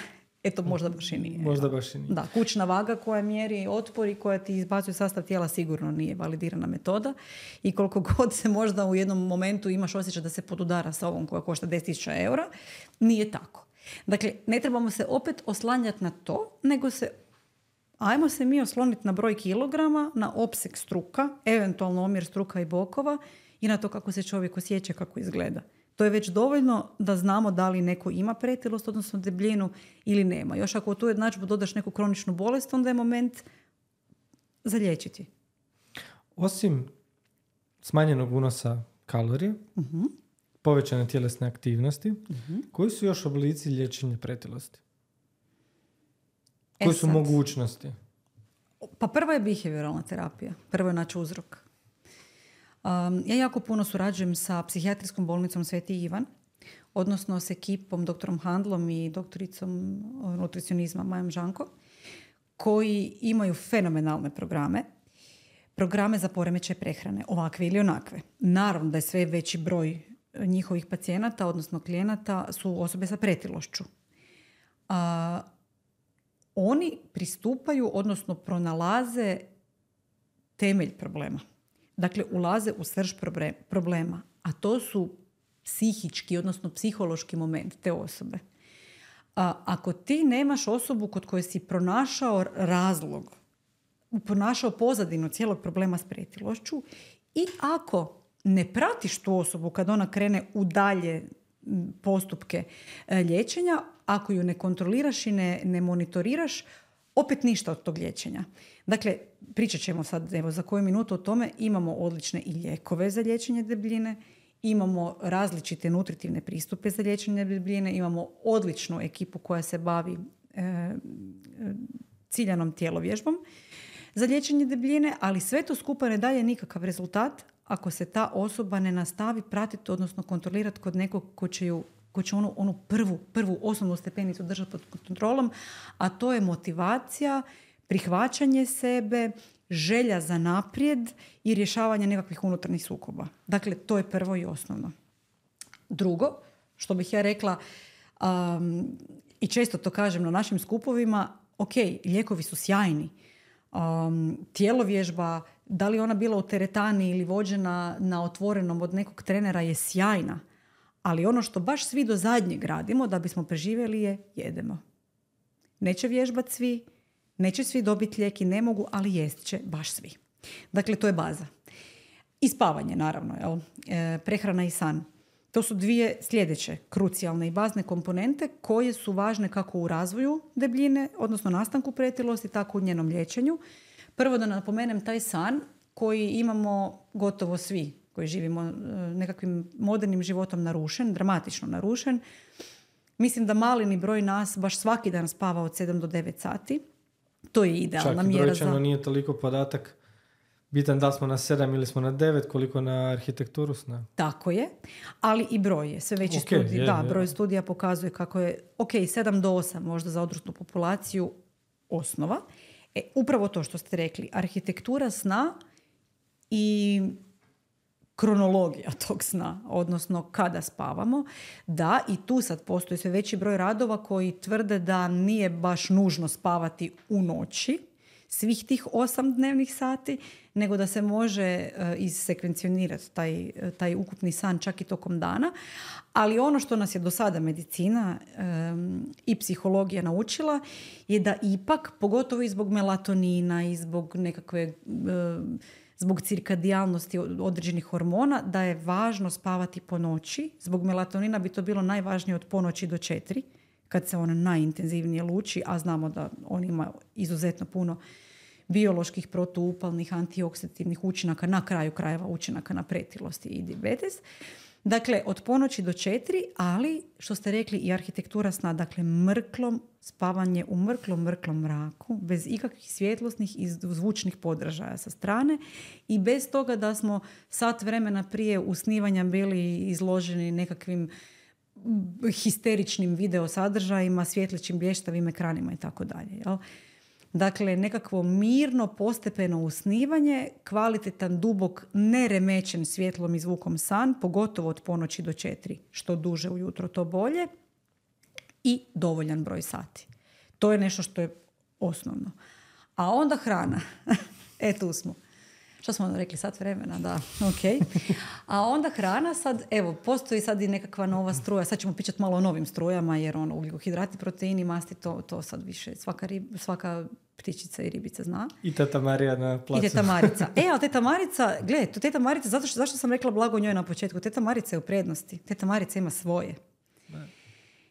eto možda baš i nije. Možda baš i nije. Da, kućna vaga koja mjeri otpor i koja ti izbacuje sastav tijela sigurno nije validirana metoda i koliko god se možda u jednom momentu imaš osjećaj da se podudara sa ovom koja košta deset tisuća eura, nije tako. Dakle, ne trebamo se opet oslanjati na to, nego se ajmo se mi osloniti na broj kilograma, na opseg struka, eventualno omjer struka i bokova i na to kako se čovjek osjeća, kako izgleda. To je već dovoljno da znamo da li neko ima pretilost, odnosno debljinu ili nema. Još ako u tu jednadžbu dodaš neku kroničnu bolest, onda je moment za liječiti. Osim smanjenog unosa kalorija, Uh-huh. povećane tjelesne aktivnosti, Uh-huh. koji su još oblici liječenja pretilosti? Koje E su sad. mogućnosti? Pa prvo je behavioralna terapija. Prvo je naći uzrok. Um, ja jako puno surađujem sa psihijatrijskom bolnicom Sveti Ivan, odnosno s ekipom doktorom Handlom i doktoricom nutricionizma Majom Žanko, koji imaju fenomenalne programe. Programe za poremećaj prehrane, ovakve ili onakve. Naravno da je sve veći broj njihovih pacijenata, odnosno klijenata, su osobe sa pretilošću. A, oni pristupaju, odnosno pronalaze temelj problema. Dakle, ulaze u srž problema, a to su psihički, odnosno psihološki moment te osobe. A, ako ti nemaš osobu kod koje si pronašao razlog, pronašao pozadinu cijelog problema s pretilošću i ako ne pratiš tu osobu kad ona krene u dalje postupke liječenja, ako ju ne kontroliraš i ne, ne monitoriraš, opet ništa od tog liječenja. Dakle, pričat ćemo sad evo, za koju minutu o tome. Imamo odlične i lijekove za liječenje debljine, imamo različite nutritivne pristupe za liječenje debljine, imamo odličnu ekipu koja se bavi e, ciljanom tijelovježbom za liječenje debljine, ali sve to skupa ne daje nikakav rezultat ako se ta osoba ne nastavi pratiti, odnosno kontrolirati kod nekog ko će, ju, ko će onu, onu prvu, prvu osnovnu stepenicu držati pod kontrolom, a to je motivacija, prihvaćanje sebe, želja za naprijed i rješavanje nekakvih unutarnjih sukoba. Dakle, to je prvo i osnovno. Drugo, što bih ja rekla, um, i često to kažem na našim skupovima, ok, lijekovi su sjajni. Um, tijelovježba, da li ona bila u teretani ili vođena na otvorenom od nekog trenera, je sjajna. Ali ono što baš svi do zadnjeg radimo da bismo preživjeli je jedemo. Neće vježbati svi, neće svi dobiti lijek i ne mogu, ali jest će baš svi. Dakle, to je baza. I spavanje, naravno. Jel? E, prehrana i san. To su dvije sljedeće krucijalne i bazne komponente koje su važne kako u razvoju debljine, odnosno nastanku pretilosti, tako u njenom liječenju. Prvo da napomenem taj san koji imamo gotovo svi koji živimo nekakvim modernim životom narušen, dramatično narušen. Mislim da malini broj nas baš svaki dan spava od sedam do devet sati. To je idealna mjera. Čak i brojčano za... nije toliko podatak bitan da smo na sedam ili smo na devet, koliko na arhitekturu sna. Tako je, ali i broj je. Sve veći okay, studij, je, da, je. broj studija pokazuje kako je, ok, sedam do osam možda za odraslu populaciju osnova. E, upravo to što ste rekli, arhitektura sna i kronologija tog sna, odnosno kada spavamo, da, i tu sad postoji sve veći broj radova koji tvrde da nije baš nužno spavati u noći, svih tih osam dnevnih sati, nego da se može uh, izsekvencionirati taj, taj ukupni san čak i tokom dana. Ali ono što nas je do sada medicina um, i psihologija naučila je da ipak, pogotovo i zbog melatonina i zbog nekakve... Uh, zbog cirkadijalnosti određenih hormona, da je važno spavati po noći. Zbog melatonina bi to bilo najvažnije od ponoći do četiri, kad se on najintenzivnije luči, a znamo da on ima izuzetno puno bioloških, protuupalnih, antioksidativnih učinaka, na kraju krajeva učinaka na pretilost i dijabetes. Dakle, od ponoći do četiri, ali, što ste rekli, i arhitektura sna, dakle, mrklom, spavanje u mrklom, mrklom mraku, bez ikakvih svjetlosnih i zvučnih podražaja sa strane i bez toga da smo sat vremena prije usnivanja bili izloženi nekakvim histeričnim video sadržajima, svjetlećim blještavim ekranima i tako dalje. Dakle, nekakvo mirno, postepeno usnivanje, kvalitetan, dubok, neremećen svjetlom i zvukom san, pogotovo od ponoći do četiri. Što duže ujutro, to bolje. I dovoljan broj sati. To je nešto što je osnovno. A onda hrana. E, tu smo. Što smo rekli, sat vremena, da, ok. A onda hrana sad, evo, postoji sad i nekakva nova struja, sad ćemo pričati malo o novim strujama, jer ono, ugljikohidrati, proteini, masti, to, to sad više svaka, rib, svaka ptičica i ribica zna. I teta Marija na placu. I teta Marica. E, ali teta Marica, gle, to teta Marica, zato što, zašto sam rekla blago njoj na početku, teta Marica je u prednosti, teta Marica ima svoje. Ne.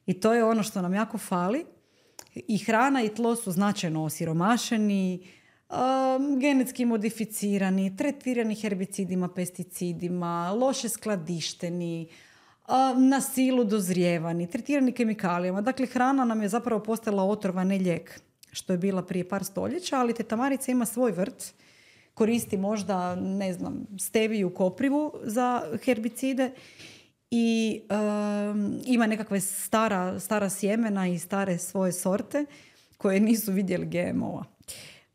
I to je ono što nam jako fali. I hrana i tlo su značajno osiromašeni, Um, genetski modificirani, tretirani herbicidima, pesticidima, loše skladišteni, um, na silu dozrijevani, tretirani kemikalijama. Dakle, hrana nam je zapravo postala otrova, ne lijek, što je bila prije par stoljeća, ali teta Marica ima svoj vrt, koristi možda, ne znam, steviju koprivu za herbicide i um, ima nekakve stara, stara sjemena i stare svoje sorte koje nisu vidjeli G M O-a.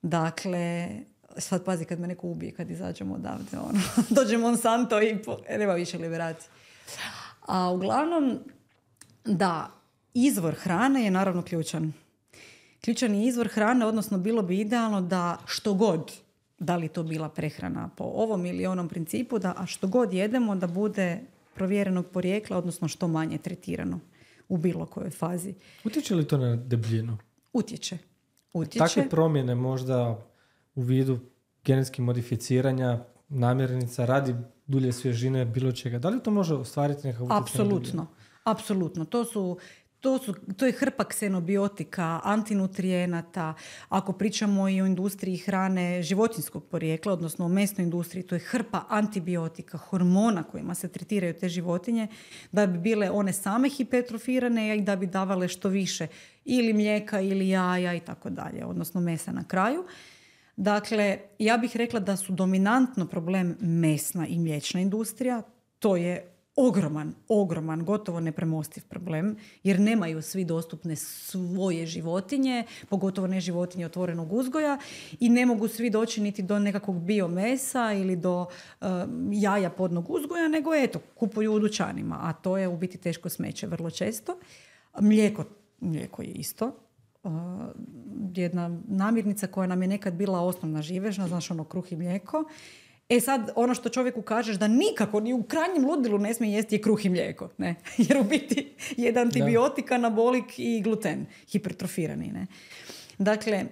Dakle, sad pazi kad me neko ubije, kad izađemo odavde, ono, dođe Monsanto i po, nema više liberacije. A uglavnom, da, izvor hrane je naravno ključan. Ključan je izvor hrane, odnosno bilo bi idealno da što god, da li to bila prehrana po ovom ili onom principu, da a što god jedemo da bude provjerenog porijekla, odnosno što manje tretirano u bilo kojoj fazi. Utječe li to na debljinu? Utječe. Utječe. Takve promjene možda u vidu genetskih modificiranja, namirnica, radi dulje svježine, bilo čega. Da li to može ostvariti nekakav utjecaj? Apsolutno. Apsolutno. To su, to su, to je hrpa ksenobiotika, antinutrijenata. Ako pričamo i o industriji hrane životinjskog porijekla, odnosno o mesnoj industriji, to je hrpa antibiotika, hormona kojima se tretiraju te životinje, da bi bile one same hipertrofirane i da bi davale što više ili mlijeka ili jaja i tako dalje, odnosno mesa na kraju. Dakle, ja bih rekla da su dominantno problem mesna i mliječna industrija. To je ogroman, ogroman, gotovo nepremostiv problem, jer nemaju svi dostupne svoje životinje, pogotovo ne životinje otvorenog uzgoja, i ne mogu svi doći niti do nekakvog biomesa ili do uh, jaja podnog uzgoja, nego eto, kupuju u dućanima, a to je u biti teško smeće vrlo često. Mlijeko, mlijeko je isto. Uh, jedna namirnica koja nam je nekad bila osnovna živežna, znaš ono, kruh i mlijeko. E sad, ono što čovjeku kažeš da nikako, ni u krajnjem ludilu ne smije jesti je kruh i mlijeko. Ne? Jer u biti je antibiotik, anabolik i gluten, hipertrofirani. Ne? Dakle,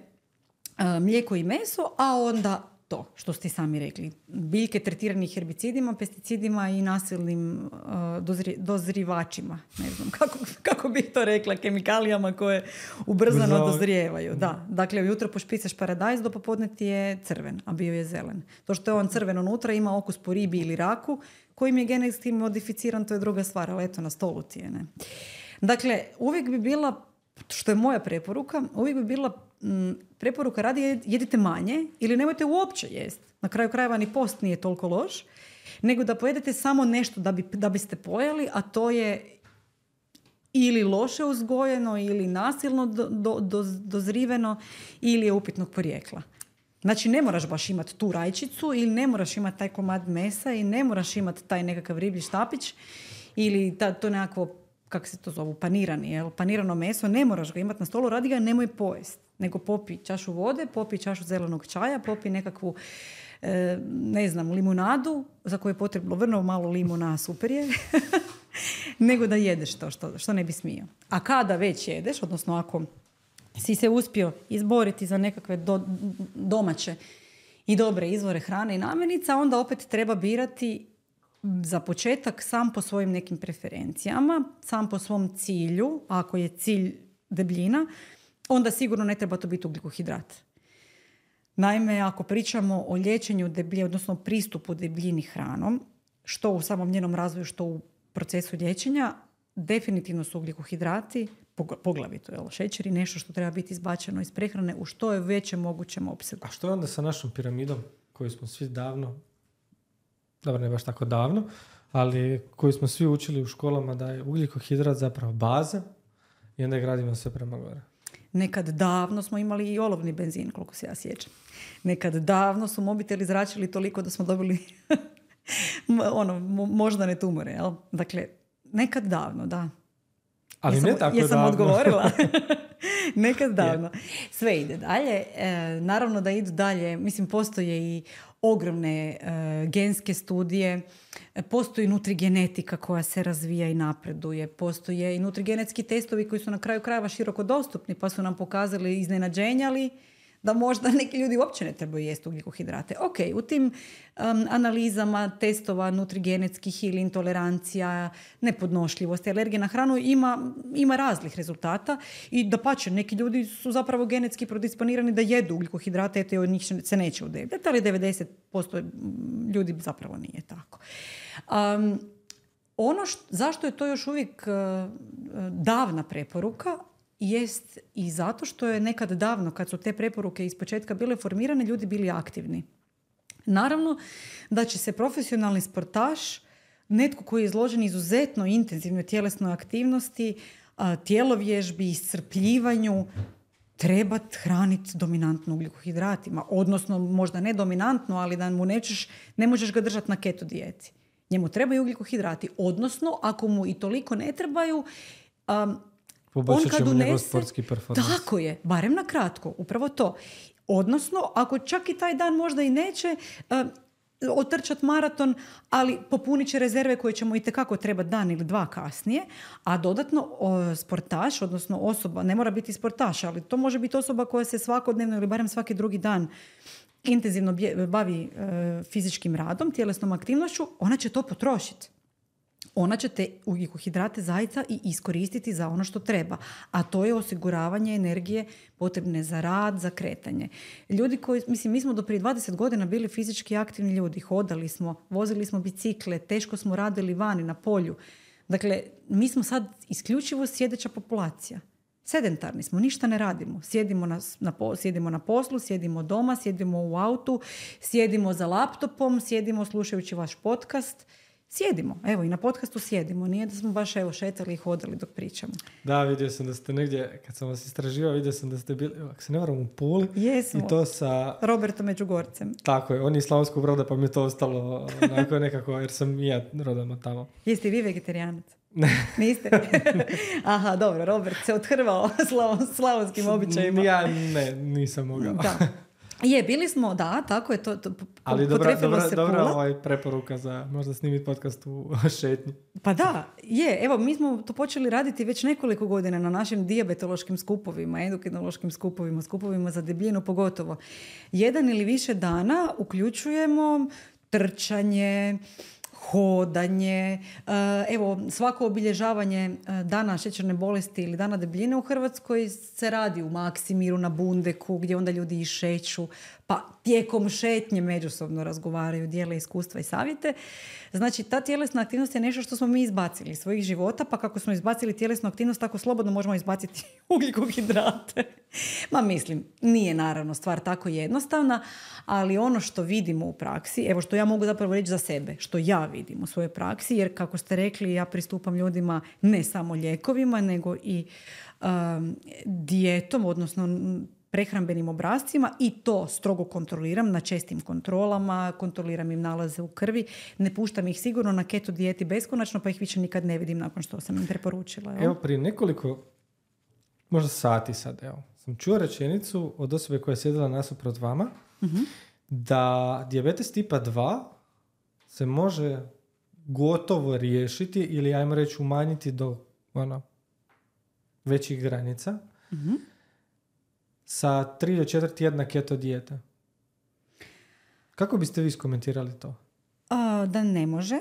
mlijeko i meso, a onda to, što ste sami rekli. Biljke tretirani herbicidima, pesticidima i nasilnim uh, dozri, dozrivačima. Ne znam kako, kako bih to rekla, kemikalijama koje ubrzano Brzo. dozrijevaju. Da. Dakle, ujutro pošpicaš paradajz, do popodne ti je crven, a bio je zelen. To što je on crven unutra ima okus po ribi ili raku, kojim je genetski modificiran, to je druga stvar, ali eto, na stolu ti je. Ne? Dakle, uvijek bi bila, što je moja preporuka, uvijek bi bila m, preporuka radi jedite manje ili nemojte uopće jesti. Na kraju krajeva ni post nije toliko loš, nego da pojedete samo nešto da, bi, da biste pojeli, a to je ili loše uzgojeno ili nasilno do, do, do, dozriveno ili je upitnog porijekla. Znači ne moraš baš imati tu rajčicu ili ne moraš imati taj komad mesa i ne moraš imati taj nekakav riblji štapić ili ta, to nekakvo, kako se to zovu, panirani, jel? Panirano meso, ne moraš ga imati na stolu, radi ga, nemoj pojesti. Nego popi čašu vode, popi čašu zelenog čaja, popi nekakvu, e, ne znam, limunadu, za koju je potrebno vrlo malo limuna, super je, nego da jedeš to što, što ne bi smio. A kada već jedeš, odnosno ako si se uspio izboriti za nekakve do, domaće i dobre izvore hrane i namirnica, onda opet treba birati za početak sam po svojim nekim preferencijama, sam po svom cilju. Ako je cilj debljina, onda sigurno ne treba to biti ugljikohidrat. Naime, ako pričamo o liječenju debljine, odnosno pristupu debljini hranom, što u samom njenom razvoju, što u procesu liječenja, definitivno su ugljikohidrati, poglavito jel, šećeri, nešto što treba biti izbačeno iz prehrane u što je većem mogućem opsegu. A što je onda sa našom piramidom koju smo svi davno, dobro ne baš tako davno, ali koju smo svi učili u školama da je ugljikohidrat zapravo baza i onda je gradimo sve prema gore? Nekad davno smo imali i olovni benzin, koliko se ja sjećam. Nekad davno su mobiteli zračili toliko da smo dobili ono, moždane tumore. Jel? Dakle, nekad davno, da. Ali jesam, ne tako jesam davno. odgovorila? Nekad davno. Sve ide dalje. E, naravno da idu dalje. Mislim, postoje i ogromne e, genske studije. E, postoji nutrigenetika koja se razvija i napreduje. Postoje i nutrigenetski testovi koji su na kraju krajeva široko dostupni, pa su nam pokazali iznenađenjali da možda neki ljudi uopće ne trebaju jesti ugljikohidrate. Ok, u tim um, analizama testova nutrigenetskih ili intolerancija, nepodnošljivosti, alergije na hranu ima, ima raznih rezultata i dapače, neki ljudi su zapravo genetski predisponirani da jedu ugljikohidrate, eto i od njih se neće udebljati, ali devedeset posto ljudi zapravo nije tako. Um, ono što, zašto je to još uvijek uh, davna preporuka, jest i zato što je nekad davno, kad su te preporuke iz početka bile formirane, ljudi bili aktivni. Naravno da će se profesionalni sportaš, netko koji je izložen izuzetno intenzivnoj tjelesnoj aktivnosti, tjelovježbi, iscrpljivanju, trebat hraniti dominantno ugljikohidratima. Odnosno, možda ne dominantno, ali da mu nećeš, ne možeš ga držati na keto dijeti. Njemu trebaju ugljikohidrati. Odnosno, ako mu i toliko ne trebaju, um, poboljšat ćemo njegov sportski performans. Tako je, barem na kratko, upravo to. Odnosno, ako čak i taj dan možda i neće uh, otrčati maraton, ali popunit će rezerve koje će mu itekako trebati dan ili dva kasnije, a dodatno o, sportaš, odnosno osoba, ne mora biti sportaš, ali to može biti osoba koja se svakodnevno ili barem svaki drugi dan intenzivno bje, bavi uh, fizičkim radom, tjelesnom aktivnošću, ona će to potrošiti. Ona će te ugljikohidrate zaista i iskoristiti za ono što treba. A to je osiguravanje energije potrebne za rad, za kretanje. Ljudi koji, mislim, mi smo do prije dvadeset godina bili fizički aktivni ljudi. Hodali smo, vozili smo bicikle, teško smo radili vani na polju. Dakle, mi smo sad isključivo sjedeća populacija. Sedentarni smo, ništa ne radimo. Sjedimo na, na, sjedimo na poslu, sjedimo doma, sjedimo u autu, sjedimo za laptopom, sjedimo slušajući vaš podcast. Sjedimo, evo i na podcastu sjedimo, nije da smo baš evo šetali i hodali dok pričamo. Da, vidio sam da ste negdje, kad sam vas istraživao, vidio sam da ste bili, ako se ne varam, u Puli. Jesmo. I to sa Robertom Međugorcem. Tako je, on je iz Slavonskog Broda, pa mi je to ostalo onako nekako, jer sam i ja rodom od tamo. Jeste i vi vegetarijanac? Niste? Aha, dobro, Robert se othrvao slavon, slavonskim običajima. Ja ne, nisam mogao. Da. Je, bili smo, da, tako je to. to Ali dobra, dobra, dobra ovaj preporuka za možda snimiti podcast u šetnji. Pa da, je. Evo, mi smo to počeli raditi već nekoliko godina na našim dijabetološkim skupovima, endokrinološkim skupovima, skupovima za debljinu pogotovo. Jedan ili više dana uključujemo trčanje, hodanje, evo svako obilježavanje dana šećerne bolesti ili dana debljine u Hrvatskoj se radi u Maksimiru, na Bundeku, gdje onda ljudi i šeću, pa tijekom šetnje međusobno razgovaraju, dijele iskustva i savjete. Znači, ta tjelesna aktivnost je nešto što smo mi izbacili iz svojih života, pa kako smo izbacili tjelesnu aktivnost, tako slobodno možemo izbaciti ugljikohidrate. Ma mislim, nije naravno stvar tako jednostavna, ali ono što vidimo u praksi, evo što ja mogu zapravo reći za sebe, što ja vidim u svojoj praksi, jer kako ste rekli, ja pristupam ljudima ne samo lijekovima, nego i um, dijetom, odnosno prehrambenim obrascima i to strogo kontroliram na čestim kontrolama, kontroliram im nalaze u krvi, ne puštam ih sigurno na keto dijeti beskonačno, pa ih više nikad ne vidim nakon što sam im preporučila. Evo, evo prije nekoliko, možda sati sad, evo, sam čuo rečenicu od osobe koja je sjedila nasuprot vama, uh-huh. da dijabetes tipa dva se može gotovo riješiti ili, ajmo reći, umanjiti do ono, većih granica, uh-huh. sa tri do četiri tjedna keto dijete. Kako biste vi skomentirali to? A, da ne može.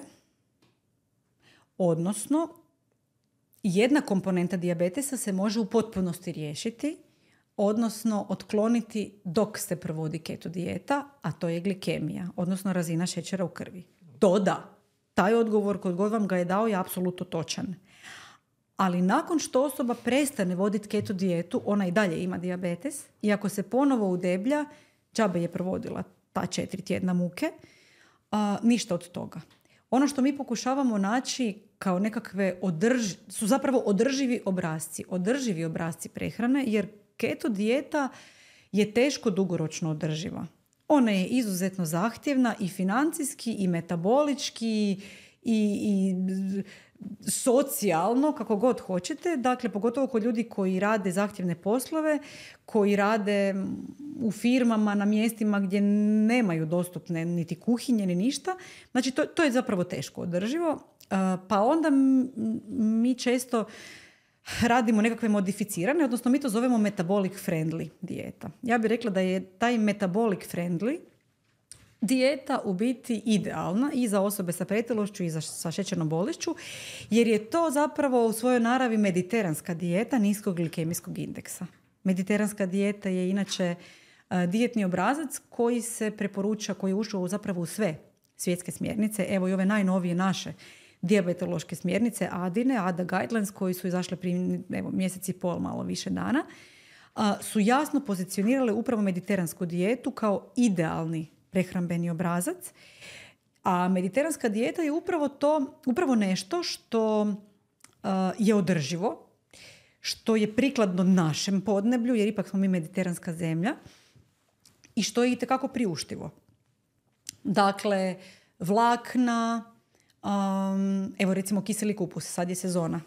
Odnosno, jedna komponenta dijabetesa se može u potpunosti riješiti, odnosno otkloniti dok se provodi keto dijeta, a to je glikemija, odnosno razina šećera u krvi. To da. Taj odgovor kod god vam ga je dao je apsolutno točan. Ali nakon što osoba prestane voditi keto dijetu, ona i dalje ima dijabetes i ako se ponovo udeblja, džabe je provodila ta četiri tjedna muke, a, ništa od toga. Ono što mi pokušavamo naći kao nekakve održi, su zapravo održivi obrasci. Održivi obrasci prehrane, jer keto dijeta je teško dugoročno održiva. Ona je izuzetno zahtjevna i financijski i metabolički i, i socijalno, kako god hoćete, dakle pogotovo kod ljudi koji rade zahtjevne poslove, koji rade u firmama na mjestima gdje nemaju dostupne niti kuhinje ni ništa. Znači to, to je zapravo teško održivo. Pa onda mi često radimo nekakve modificirane, odnosno mi to zovemo metabolic friendly dijeta. Ja bih rekla da je taj metabolic friendly dijeta u biti idealna i za osobe sa pretilošću i za, sa šećernom bolešću, jer je to zapravo u svojoj naravi mediteranska dijeta niskog glikemijskog indeksa. Mediteranska dijeta je inače uh, dijetni obrazac koji se preporuča, koji je ušao zapravo u sve svjetske smjernice. Evo i ove najnovije naše dijabetološke smjernice A D I N E, A D A Guidelines, koji su izašle prije evo, mjesec i pol, malo više dana, uh, su jasno pozicionirale upravo mediteransku dijetu kao idealni prehrambeni obrazac. A mediteranska dijeta je upravo to, upravo nešto što uh, je održivo, što je prikladno našem podneblju, jer ipak smo mi mediteranska zemlja, i što je itekako priuštivo. Dakle, vlakna, um, evo recimo kiseli kupus, sad je sezona.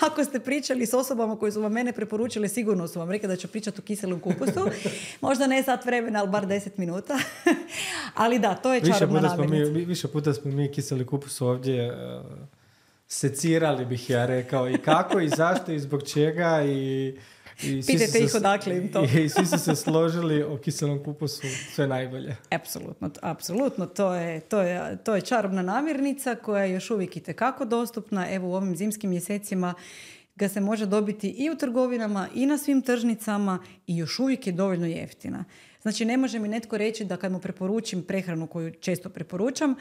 Ako ste pričali s osobama koji su vam mene preporučili, sigurno su vam rekli da ću pričati o kiselom kupusu. Možda ne sat vremena, ali bar deset minuta. Ali da, to je čarobna namirnica. Mi, više puta smo mi kiseli kupus ovdje uh, secirali, bih ja rekao. I kako, i zašto, i zbog čega. I, i pitajte ih odakle im to. I, I svi su se složili o kiselom kupusu, sve najbolje. Apsolutno, apsolutno. To je, to je, to je čarobna namirnica koja je još uvijek itekako dostupna. Evo u ovim zimskim mjesecima ga se može dobiti i u trgovinama i na svim tržnicama i još uvijek je dovoljno jeftina. Znači ne može mi netko reći da kad mu preporučim prehranu koju često preporučam,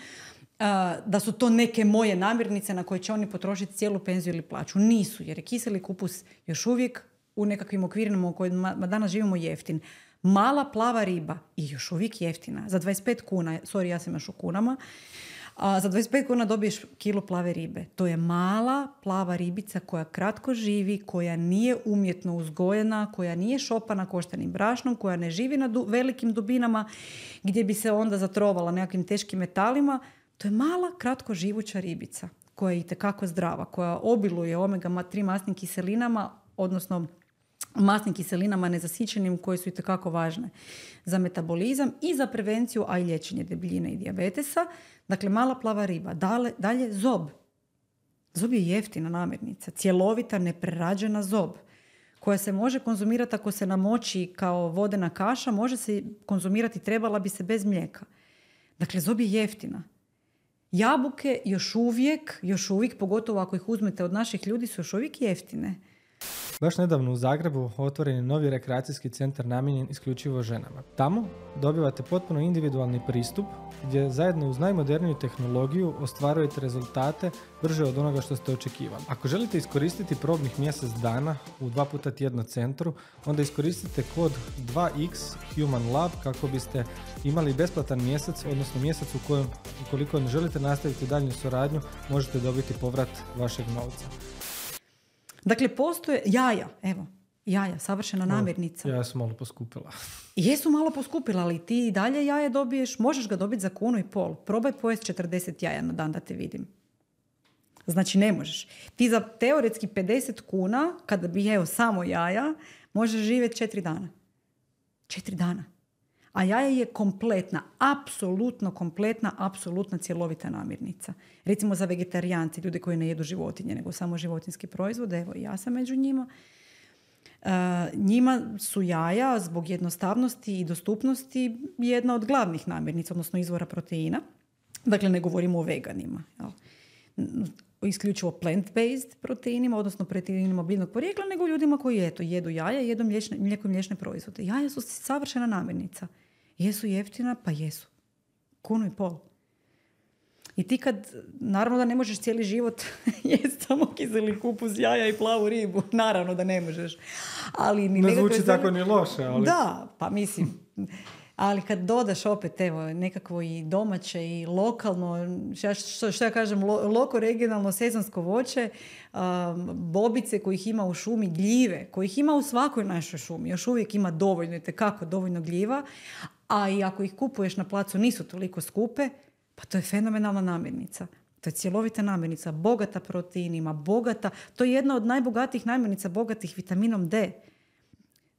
da su to neke moje namirnice na koje će oni potrošiti cijelu penziju ili plaću. Nisu, jer je kiseli kupus još uvijek u nekakvim okvirima u kojima danas živimo jeftin. Mala plava riba i još uvijek jeftina. Za dvadeset pet kuna, sorry, ja sam još u kunama, a za dvadeset pet kuna dobiješ kilo plave ribe. To je mala plava ribica koja kratko živi, koja nije umjetno uzgojena, koja nije šopana koštanim brašnom, koja ne živi na du- velikim dubinama gdje bi se onda zatrovala nekakvim teškim metalima. To je mala, kratko živuća ribica koja je itekako zdrava, koja obiluje omega tri masnim kiselinama, odnosno masnim kiselinama nezasićenim koje su itekako važne za metabolizam i za prevenciju, a i liječenje debljine i dijabetesa. Dakle, mala plava riba. Dalje, dalje zob. Zob je jeftina namirnica, cjelovita, neprerađena zob koja se može konzumirati ako se namoči kao vodena kaša, može se konzumirati, trebala bi se bez mlijeka. Dakle, zob je jeftina. Jabuke još uvijek, još uvijek, pogotovo ako ih uzmete od naših ljudi, su još uvijek jeftine. Baš nedavno u Zagrebu otvoren je novi rekreacijski centar namijenjen isključivo ženama. Tamo dobivate potpuno individualni pristup gdje zajedno uz najmoderniju tehnologiju ostvarujete rezultate brže od onoga što ste očekivali. Ako želite iskoristiti probnih mjesec dana u dva puta tjedno centru, onda iskoristite kod dva iks Human Lab kako biste imali besplatan mjesec, odnosno mjesec u kojem, ukoliko ne želite nastaviti daljnju suradnju, možete dobiti povrat vašeg novca. Dakle, postoje jaja, evo, jaja, savršena namirnica. Jaja su malo poskupila. Jesu malo poskupila, ali ti i dalje jaje dobiješ, možeš ga dobiti za kunu i pol. Probaj pojest četrdeset jaja na dan da te vidim. Znači, ne možeš. Ti za teoretski pedeset kuna, kada bi jeo samo jaja, možeš živjeti četiri dana. Četiri dana. A jaje je kompletna, apsolutno kompletna, apsolutna cjelovita namirnica. Recimo za vegetarijanci, ljudi koji ne jedu životinje, nego samo životinjski proizvod, evo i ja sam među njima. Uh, njima su jaja zbog jednostavnosti i dostupnosti jedna od glavnih namirnica, odnosno izvora proteina. Dakle, ne govorimo o veganima. Jel? Isključivo plant-based proteinima, odnosno proteinima biljnog porijekla, nego ljudima koji eto, jedu jaja i jedu mliječne, mlijeko i mliječne proizvode. Jaja su savršena namirnica. Jesu jeftina? Pa jesu. Kunu i pol. I ti kad, naravno da ne možeš cijeli život jesti samo kiseli kupus, jaja i plavu ribu. Naravno da ne možeš. Ali ni ne zvuči zeli... tako ni loše. Ali... Da, pa mislim... Ali kad dodaš opet evo, nekakvo i domaće i lokalno, što, što ja kažem, lo, loko, regionalno, sezonsko voće, um, bobice kojih ima u šumi, gljive kojih ima u svakoj našoj šumi, još uvijek ima dovoljno, itekako dovoljno gljiva, a i ako ih kupuješ na placu nisu toliko skupe, pa to je fenomenalna namirnica. To je cjelovita namirnica, bogata proteinima, bogata, to je jedna od najbogatijih namirnica, bogatih vitaminom D.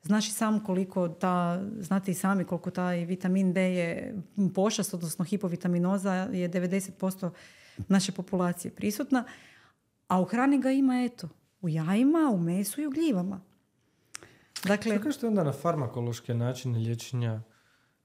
Znaš i sam koliko ta, znate i sami koliko taj vitamin D je pošast, odnosno hipovitaminoza je devedeset posto naše populacije prisutna, a u hrani ga ima, eto, u jajima, u mesu i u gljivama. Dakle, što kažete onda na farmakološke načine liječenja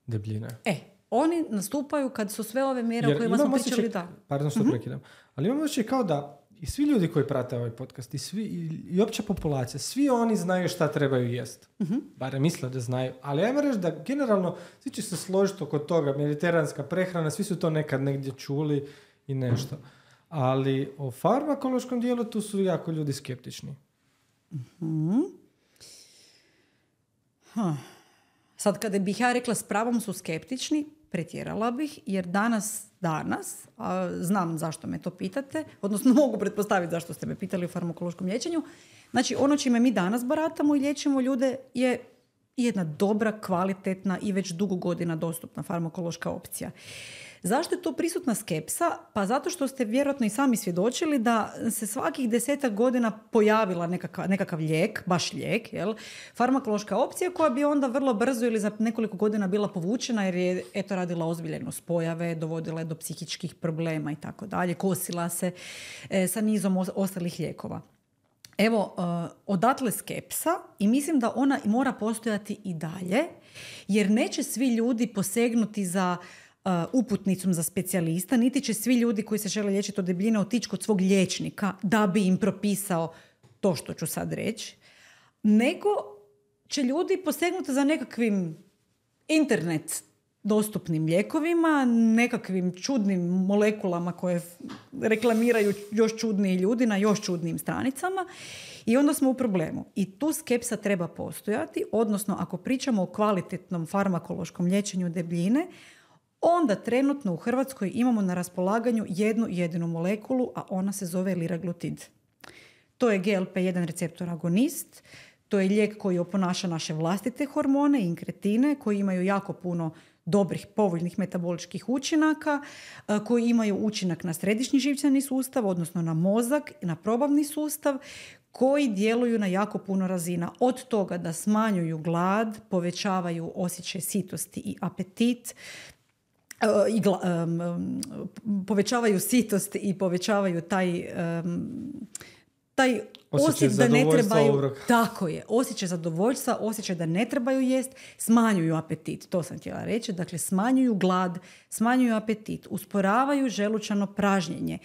debljine? E, oni nastupaju kad su sve ove mjere Jer o kojima smo pričali, da. Pardon što uh-huh. prekidam. Ali imamo osjećaj kao da i svi ljudi koji prate ovaj podcast i, svi, i, i opća populacija, svi oni znaju šta trebaju jest. Uh-huh. Barem misle da znaju. Ali ajmo reći da generalno svi će se složiti oko toga, mediteranska prehrana, svi su to nekad negdje čuli i nešto. Ali o farmakološkom dijelu tu su jako ljudi skeptični. Uh-huh. Huh. Sad kada bih ja rekla s pravom su skeptični, pretjerala bih, jer danas, danas, a znam zašto me to pitate, odnosno mogu pretpostaviti zašto ste me pitali o farmakološkom liječenju, znači ono čime mi danas baratamo i liječimo ljude je jedna dobra, kvalitetna i već dugo godina dostupna farmakološka opcija. Zašto je to prisutna skepsa? Pa zato što ste vjerojatno i sami svjedočili da se svakih desetak godina pojavila nekakav, nekakav lijek, baš lijek, jel? Farmakološka opcija koja bi onda vrlo brzo ili za nekoliko godina bila povučena jer je eto radila ozbiljno spojave, dovodila je do psihičkih problema i tako dalje, kosila se e, sa nizom os- ostalih lijekova. Evo, uh, odatle skepsa i mislim da ona mora postojati i dalje, jer neće svi ljudi posegnuti za uh, uputnicom za specijalista, niti će svi ljudi koji se žele liječiti od debljine otići kod svog liječnika da bi im propisao to što ću sad reći, nego će ljudi posegnuti za nekakvim internet dostupnim lijekovima, nekakvim čudnim molekulama koje reklamiraju još čudniji ljudi na još čudnijim stranicama i onda smo u problemu. I tu skepsa treba postojati, odnosno ako pričamo o kvalitetnom farmakološkom liječenju debljine, onda trenutno u Hrvatskoj imamo na raspolaganju jednu jedinu molekulu, a ona se zove liraglutid. To je G L P jedan receptor agonist, to je lijek koji oponaša naše vlastite hormone i inkretine koji imaju jako puno dobrih, povoljnih metaboličkih učinaka, koji imaju učinak na središnji živčani sustav, odnosno na mozak i na probavni sustav, koji djeluju na jako puno razina. Od toga da smanjuju glad, povećavaju osjećaj sitosti i apetit, i gla, um, povećavaju sitost i povećavaju taj... Um, taj osjećaj da ne trebaju, obrok. Tako je, osjećaj zadovoljstva, osjećaj da ne trebaju jest, smanjuju apetit, to sam htjela reći, dakle smanjuju glad, smanjuju apetit, usporavaju želučano pražnjenje,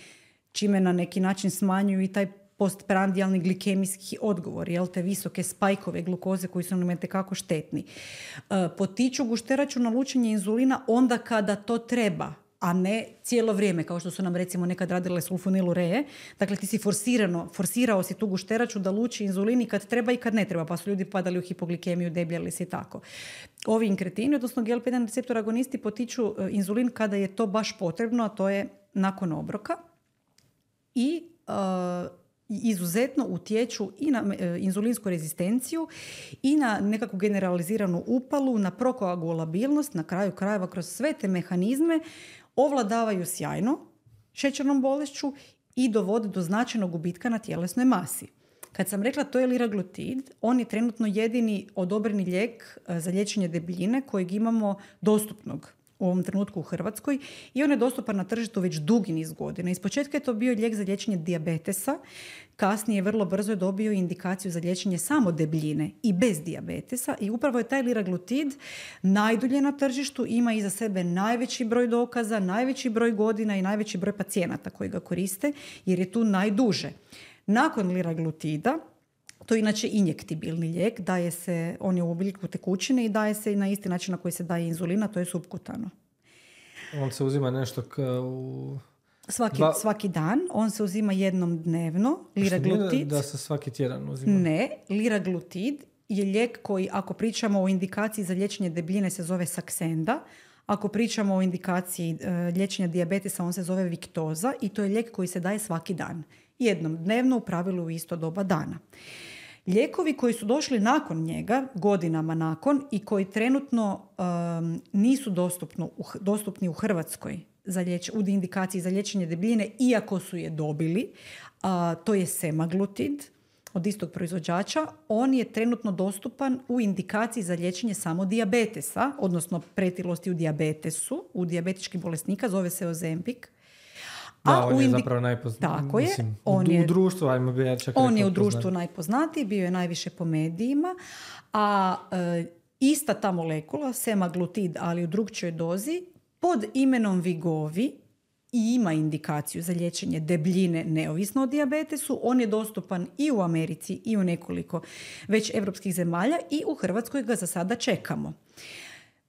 čime na neki način smanjuju i taj postprandijalni glikemijski odgovor, jel, te visoke spajkove glukoze koji su nam itekako štetni. E, potiču gušteraču lučenje inzulina onda kada to treba, a ne cijelo vrijeme, kao što su nam recimo nekad radile sulfonilureje. Dakle, ti si forsirano, forsirao si tu gušteraču da luči inzulin i kad treba i kad ne treba, pa su ljudi padali u hipoglikemiju, debljali se i tako. Ovi inkretini, odnosno G L P jedan receptor agonisti, potiču inzulin kada je to baš potrebno, a to je nakon obroka. I uh, izuzetno utječu i na uh, inzulinsku rezistenciju i na nekakvu generaliziranu upalu, na prokoagulabilnost, na kraju krajeva kroz sve te mehanizme ovladavaju sjajno šećernom bolešću i dovode do značajnog gubitka na tjelesnoj masi. Kad sam rekla to je liraglutid, on je trenutno jedini odobreni lijek za liječenje debljine kojeg imamo dostupnog u ovom trenutku u Hrvatskoj i on je dostupan na tržištu već dugi niz godina. Ispočetka je to bio lijek za liječenje dijabetesa, kasnije vrlo brzo je dobio indikaciju za liječenje samo debljine i bez dijabetesa i upravo je taj liraglutid najdulje na tržištu, ima iza sebe najveći broj dokaza, najveći broj godina i najveći broj pacijenata koji ga koriste jer je tu najduže. Nakon liraglutida, to je inače injektibilni lijek, daje se, on je u obliku tekućine i daje se na isti način na koji se daje inzulina, to je supkutano. On se uzima nešto k- u... Svaki, Dva... svaki dan, on se uzima jednom dnevno, liraglutid. Da se svaki tjedan uzima? Ne, liraglutid je lijek koji, ako pričamo o indikaciji za liječenje debljine, se zove Saxenda. Ako pričamo o indikaciji uh, liječenja dijabetesa, on se zove Victoza i to je lijek koji se daje svaki dan. Jednom dnevno, u pravilu u isto doba dana. Lijekovi koji su došli nakon njega, godinama nakon, i koji trenutno um, nisu dostupno, u, dostupni u Hrvatskoj za liječ, u indikaciji za liječenje debljine, iako su je dobili. A, to je semaglutid od istog proizvođača. On je trenutno dostupan u indikaciji za liječenje samo dijabetesa, odnosno pretilosti u dijabetesu, u dijabetičkih bolesnika, zove se Ozempic. Da, A on u je indi... zapravo najpoznatiji. Tako je. Mislim, On u, je... u društvu, ajmo bi ja čak On rekao je u društvu poznat. najpoznatiji, bio je najviše po medijima, a e, ista ta molekula, semaglutid, ali u drugčijoj dozi, pod imenom Vigovi, i ima indikaciju za liječenje debljine neovisno o dijabetesu. On je dostupan i u Americi i u nekoliko već europskih zemalja i u Hrvatskoj ga za sada čekamo.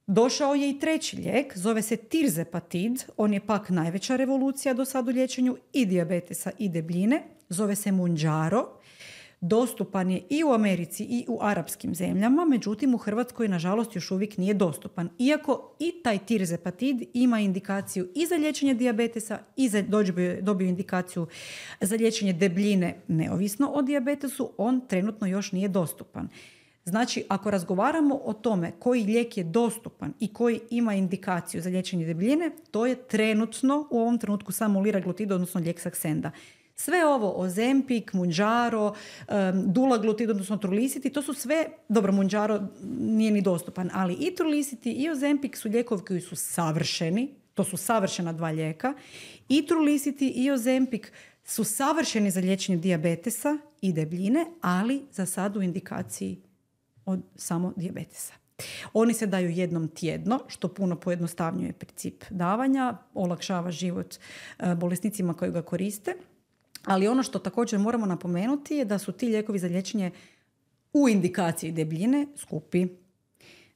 Došao je i treći lijek, zove se Tirzepatid, on je pak najveća revolucija do sad u liječenju i dijabetesa i debljine, zove se Mounjaro. Dostupan je i u Americi i u arapskim zemljama, međutim u Hrvatskoj nažalost još uvijek nije dostupan. Iako i taj Tirzepatid ima indikaciju i za liječenje dijabetesa i za dobio, dobio indikaciju za liječenje debljine neovisno o dijabetesu, on trenutno još nije dostupan. Znači, ako razgovaramo o tome koji lijek je dostupan i koji ima indikaciju za liječenje debljine, to je trenutno, u ovom trenutku samo liraglutid, odnosno lijek Saxenda. Sve ovo, Ozempic, Mounjaro, um, dulaglutid, odnosno Trulicity, to su sve, dobro, Mounjaro nije ni dostupan, ali i Trulicity i Ozempic su lijekovi koji su savršeni, to su savršena dva lijeka, i Trulicity i Ozempic su savršeni za liječenje dijabetesa i debljine, ali za sad u indikaciji od samo dijabetesa. Oni se daju jednom tjedno, što puno pojednostavnjuje princip davanja, olakšava život uh, bolesnicima koji ga koriste. Ali ono što također moramo napomenuti je da su ti lijekovi za liječenje u indikaciji debljine skupi.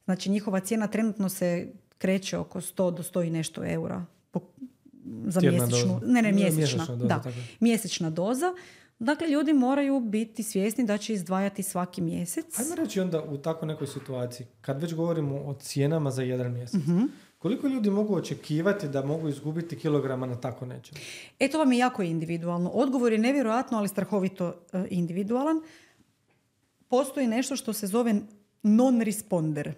Znači njihova cijena trenutno se kreće oko sto do sto i nešto eura po, za Tjedna mjesečnu, doza. ne ne mjesečna, Mjesečna doza, da, tako. mjesečna doza. Dakle, ljudi moraju biti svjesni da će izdvajati svaki mjesec. Ajmo reći onda u tako nekoj situaciji, kad već govorimo o cijenama za jedan mjesec, uh-huh. koliko ljudi mogu očekivati da mogu izgubiti kilograma na tako nečem? E, to vam je jako individualno. Odgovor je nevjerojatno, ali strahovito uh, individualan. Postoji nešto što se zove non-responder.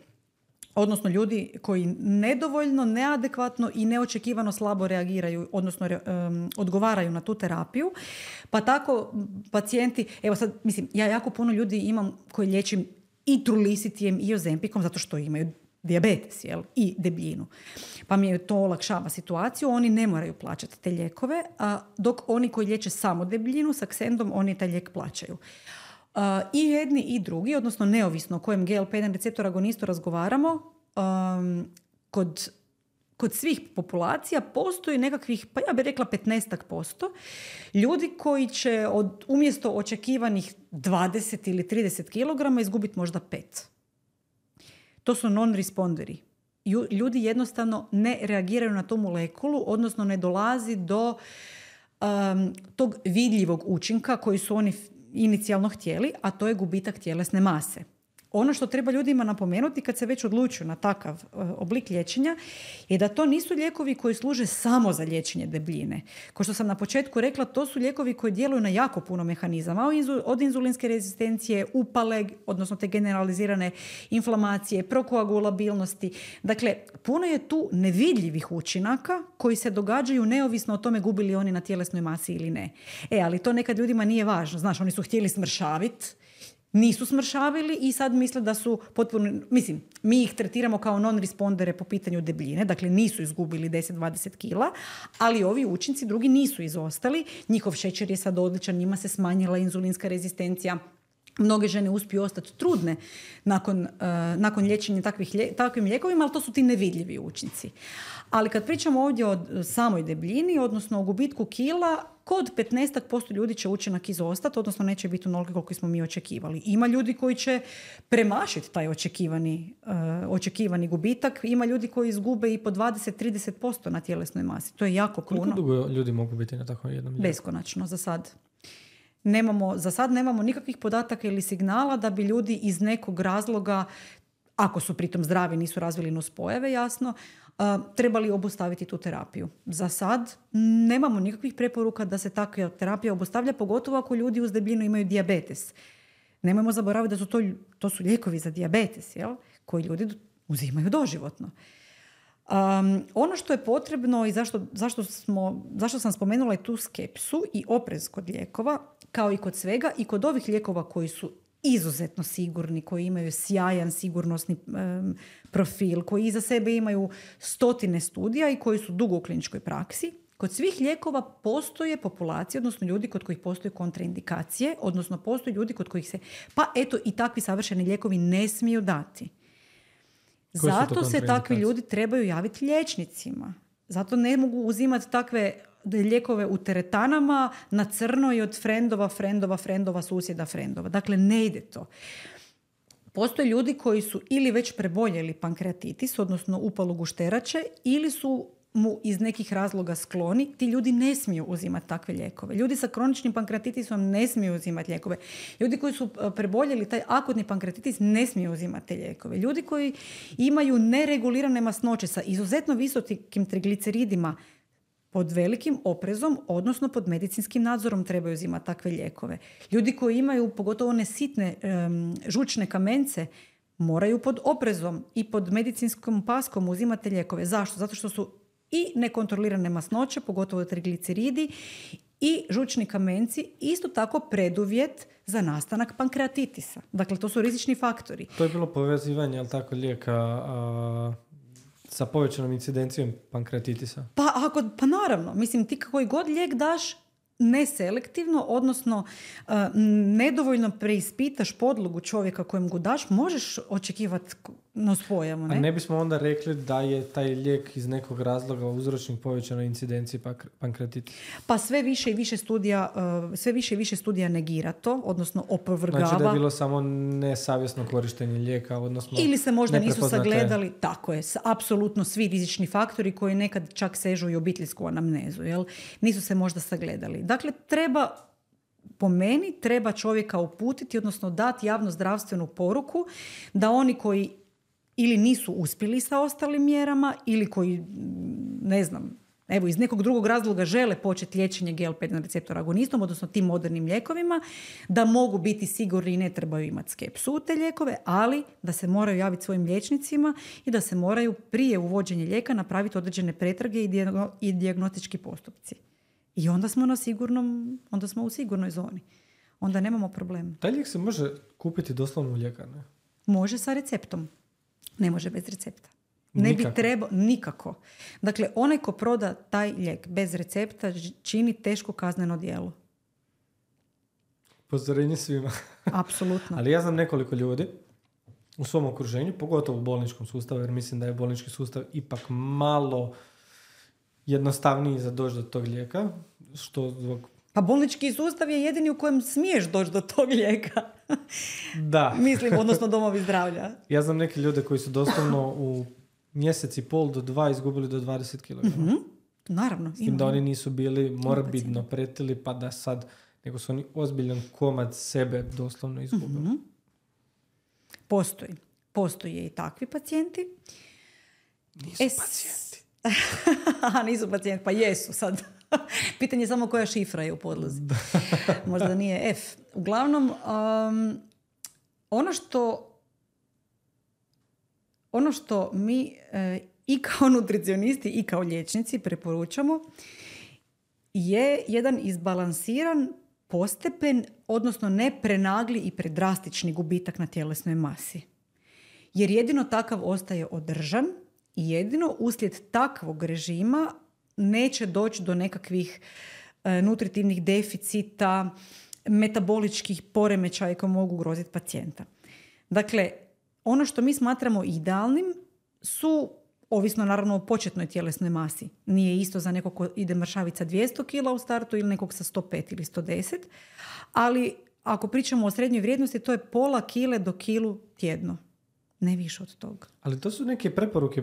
Odnosno ljudi koji nedovoljno, neadekvatno i neočekivano slabo reagiraju, odnosno um, odgovaraju na tu terapiju. Pa tako pacijenti, evo sad, mislim, ja jako puno ljudi imam koji liječim i Trulicitijem i Ozempicom zato što imaju dijabetes, jel, i debljinu. Pa mi je to olakšava situaciju, oni ne moraju plaćati te lijekove, a dok oni koji liječe samo debljinu, Saxendom, oni taj lijek plaćaju. Uh, I jedni i drugi, odnosno neovisno o kojem G L P jedan receptor agonistu razgovaramo, um, kod, kod svih populacija postoji nekakvih, pa ja bih rekla petnaest posto ljudi koji će od, umjesto očekivanih dvadeset ili trideset kilograma izgubiti možda pet. To su non-responderi. Ljudi jednostavno ne reagiraju na tu molekulu, odnosno ne dolazi do um, tog vidljivog učinka koji su oni inicijalno htjeli, a to je gubitak tjelesne mase. Ono što treba ljudima napomenuti kad se već odlučuju na takav uh, oblik liječenja je da to nisu lijekovi koji služe samo za liječenje debljine. Kao što sam na početku rekla, to su lijekovi koji djeluju na jako puno mehanizama, od inzulinske rezistencije, upale, odnosno te generalizirane inflamacije, prokoagulabilnosti. Dakle, puno je tu nevidljivih učinaka koji se događaju neovisno o tome gubili oni na tjelesnoj masi ili ne. E, ali to nekad ljudima nije važno. Znaš, oni su htjeli smršaviti, nisu smršavili i sad misle da su potpuno, mislim, mi ih tretiramo kao non-respondere po pitanju debljine, dakle nisu izgubili deset do dvadeset kila, ali ovi učinci drugi nisu izostali, njihov šećer je sad odličan, njima se smanjila inzulinska rezistencija, mnoge žene uspiju ostati trudne nakon, uh, nakon liječenja takvih lje, takvim lijekovima, ali to su ti nevidljivi učinci. Ali kad pričamo ovdje o samoj debljini, odnosno o gubitku kila, kod petnaest posto ljudi će učinak izostati, odnosno neće biti onoliko koliko smo mi očekivali. Ima ljudi koji će premašiti taj očekivani, uh, očekivani gubitak, ima ljudi koji izgube i po dvadeset do trideset posto na tjelesnoj masi. To je jako puno. Koliko dugo ljudi mogu biti na takvom jednom lijeku? Beskonačno za sad. Nemamo, za sad nemamo nikakvih podataka ili signala da bi ljudi iz nekog razloga, ako su pritom zdravi, nisu razvili nuspojave, jasno, uh, trebali obustaviti tu terapiju. Za sad nemamo nikakvih preporuka da se takva terapija obustavlja, pogotovo ako ljudi uz debljinu imaju dijabetes. Nemojmo zaboraviti da su to, to su lijekovi za dijabetes, jel? Koji ljudi uzimaju doživotno. Um, ono što je potrebno i zašto, zašto, smo, zašto sam spomenula i tu skepsu i oprez kod lijekova, kao i kod svega, i kod ovih lijekova koji su izuzetno sigurni, koji imaju sjajan sigurnosni um, profil, koji iza sebe imaju stotine studija i koji su dugo u kliničkoj praksi. Kod svih lijekova postoje populacije, odnosno ljudi kod kojih postoje kontraindikacije, odnosno postoje ljudi kod kojih se, pa eto, i takvi savršeni lijekovi ne smiju dati. Zato se takvi ljudi trebaju javiti liječnicima. Zato ne mogu uzimati takve lijekove u teretanama na crno i od frendova, frendova, frendova, susjeda, frendova. Dakle, ne ide to. Postoje ljudi koji su ili već preboljeli pankreatitis, odnosno upalu gušterače, ili su mu iz nekih razloga skloni. Ti ljudi ne smiju uzimati takve lijekove. Ljudi sa kroničnim pankreatitisom ne smiju uzimati lijekove. Ljudi koji su preboljeli taj akutni pankreatitis ne smiju uzimati te lijekove. Ljudi koji imaju neregulirane masnoće sa izuzetno visokim trigliceridima pod velikim oprezom, odnosno pod medicinskim nadzorom trebaju uzimati takve lijekove. Ljudi koji imaju pogotovo one sitne um, žučne kamence moraju pod oprezom i pod medicinskom paskom uzimati lijekove. Zašto? Zato što su i nekontrolirane masnoće, pogotovo trigliceridi i žučni kamenci, isto tako preduvjet za nastanak pankreatitisa. Dakle, to su rizični faktori. To je bilo povezivanje, jel tako, lijeka a, sa povećanom incidencijom pankreatitisa? Pa, ako, pa naravno, mislim, ti koji god lijek daš neselektivno, odnosno uh, nedovoljno preispitaš podlogu čovjeka kojem ga daš, možeš očekivati nuspojavu, ne? A ne bismo onda rekli da je taj lijek iz nekog razloga uzročnik povećanoj incidenciji pankreatitisa? Pa sve više i više studija, uh, sve više i više studija negira to, odnosno opovrgava. Znači da je bilo samo nesavjesno korištenje lijeka, odnosno ili se možda nisu neprepoznate... sagledali, tako je, apsolutno svi rizični faktori koji nekad čak sežu i obiteljsku anamnezu, jel? Nisu se možda sagledali. Dakle, treba, po meni, treba čovjeka uputiti, odnosno dati javno zdravstvenu poruku da oni koji ili nisu uspjeli sa ostalim mjerama ili koji, ne znam, evo iz nekog drugog razloga žele početi liječenje G L P jedan receptor agonistom, odnosno tim modernim lijekovima, da mogu biti sigurni i ne trebaju imati skepsu u te lijekove, ali da se moraju javiti svojim liječnicima i da se moraju prije uvođenja lijeka napraviti određene pretrage i, dijagno, i dijagnostički postupci. I onda smo na sigurnom, onda smo u sigurnoj zoni. Onda nemamo problema. Taj lijek se može kupiti doslovno u ljekarni? Može sa receptom. Ne može bez recepta. Ne nikako. bi trebao, nikako. Dakle, onaj ko proda taj lijek bez recepta čini teško kazneno djelo. Upozorenje svima. Apsolutno. Ali ja znam nekoliko ljudi u svom okruženju, pogotovo u bolničkom sustavu, jer mislim da je bolnički sustav ipak malo jednostavniji za doći do tog lijeka. Što zbog... Pa bolnički sustav je jedini u kojem smiješ doći do tog lijeka. Da. Mislim, odnosno domovi zdravlja. Ja znam neke ljude koji su doslovno u mjesec i pol do dva izgubili do dvadeset kilograma. Mm-hmm. Naravno. S tim da oni nisu bili morbidno pretili, pa da sad, nego su oni ozbiljan komad sebe doslovno izgubili. Mm-hmm. Postoji. Postoje i takvi pacijenti. Nisu es... pacijenti. A, nisu pacijenti, pa jesu sad. Pitanje je samo koja šifra je u podlozi. Možda nije F. Uglavnom, um, ono što ono što mi e, i kao nutricionisti i kao liječnici preporučamo je jedan izbalansiran postepen, odnosno ne prenagli i predrastični gubitak na tjelesnoj masi. Jer jedino takav ostaje održan i jedino uslijed takvog režima neće doći do nekakvih e, nutritivnih deficita, metaboličkih poremećaja koji mogu ugroziti pacijenta. Dakle, ono što mi smatramo idealnim su, ovisno naravno o početnoj tjelesnoj masi. Nije isto za nekog ko ide mršavica dvjesto kila u startu ili nekog sa sto pet ili sto deset, ali ako pričamo o srednjoj vrijednosti, to je pola kile do kilu tjedno. Ne više od toga. Ali to su neke preporuke,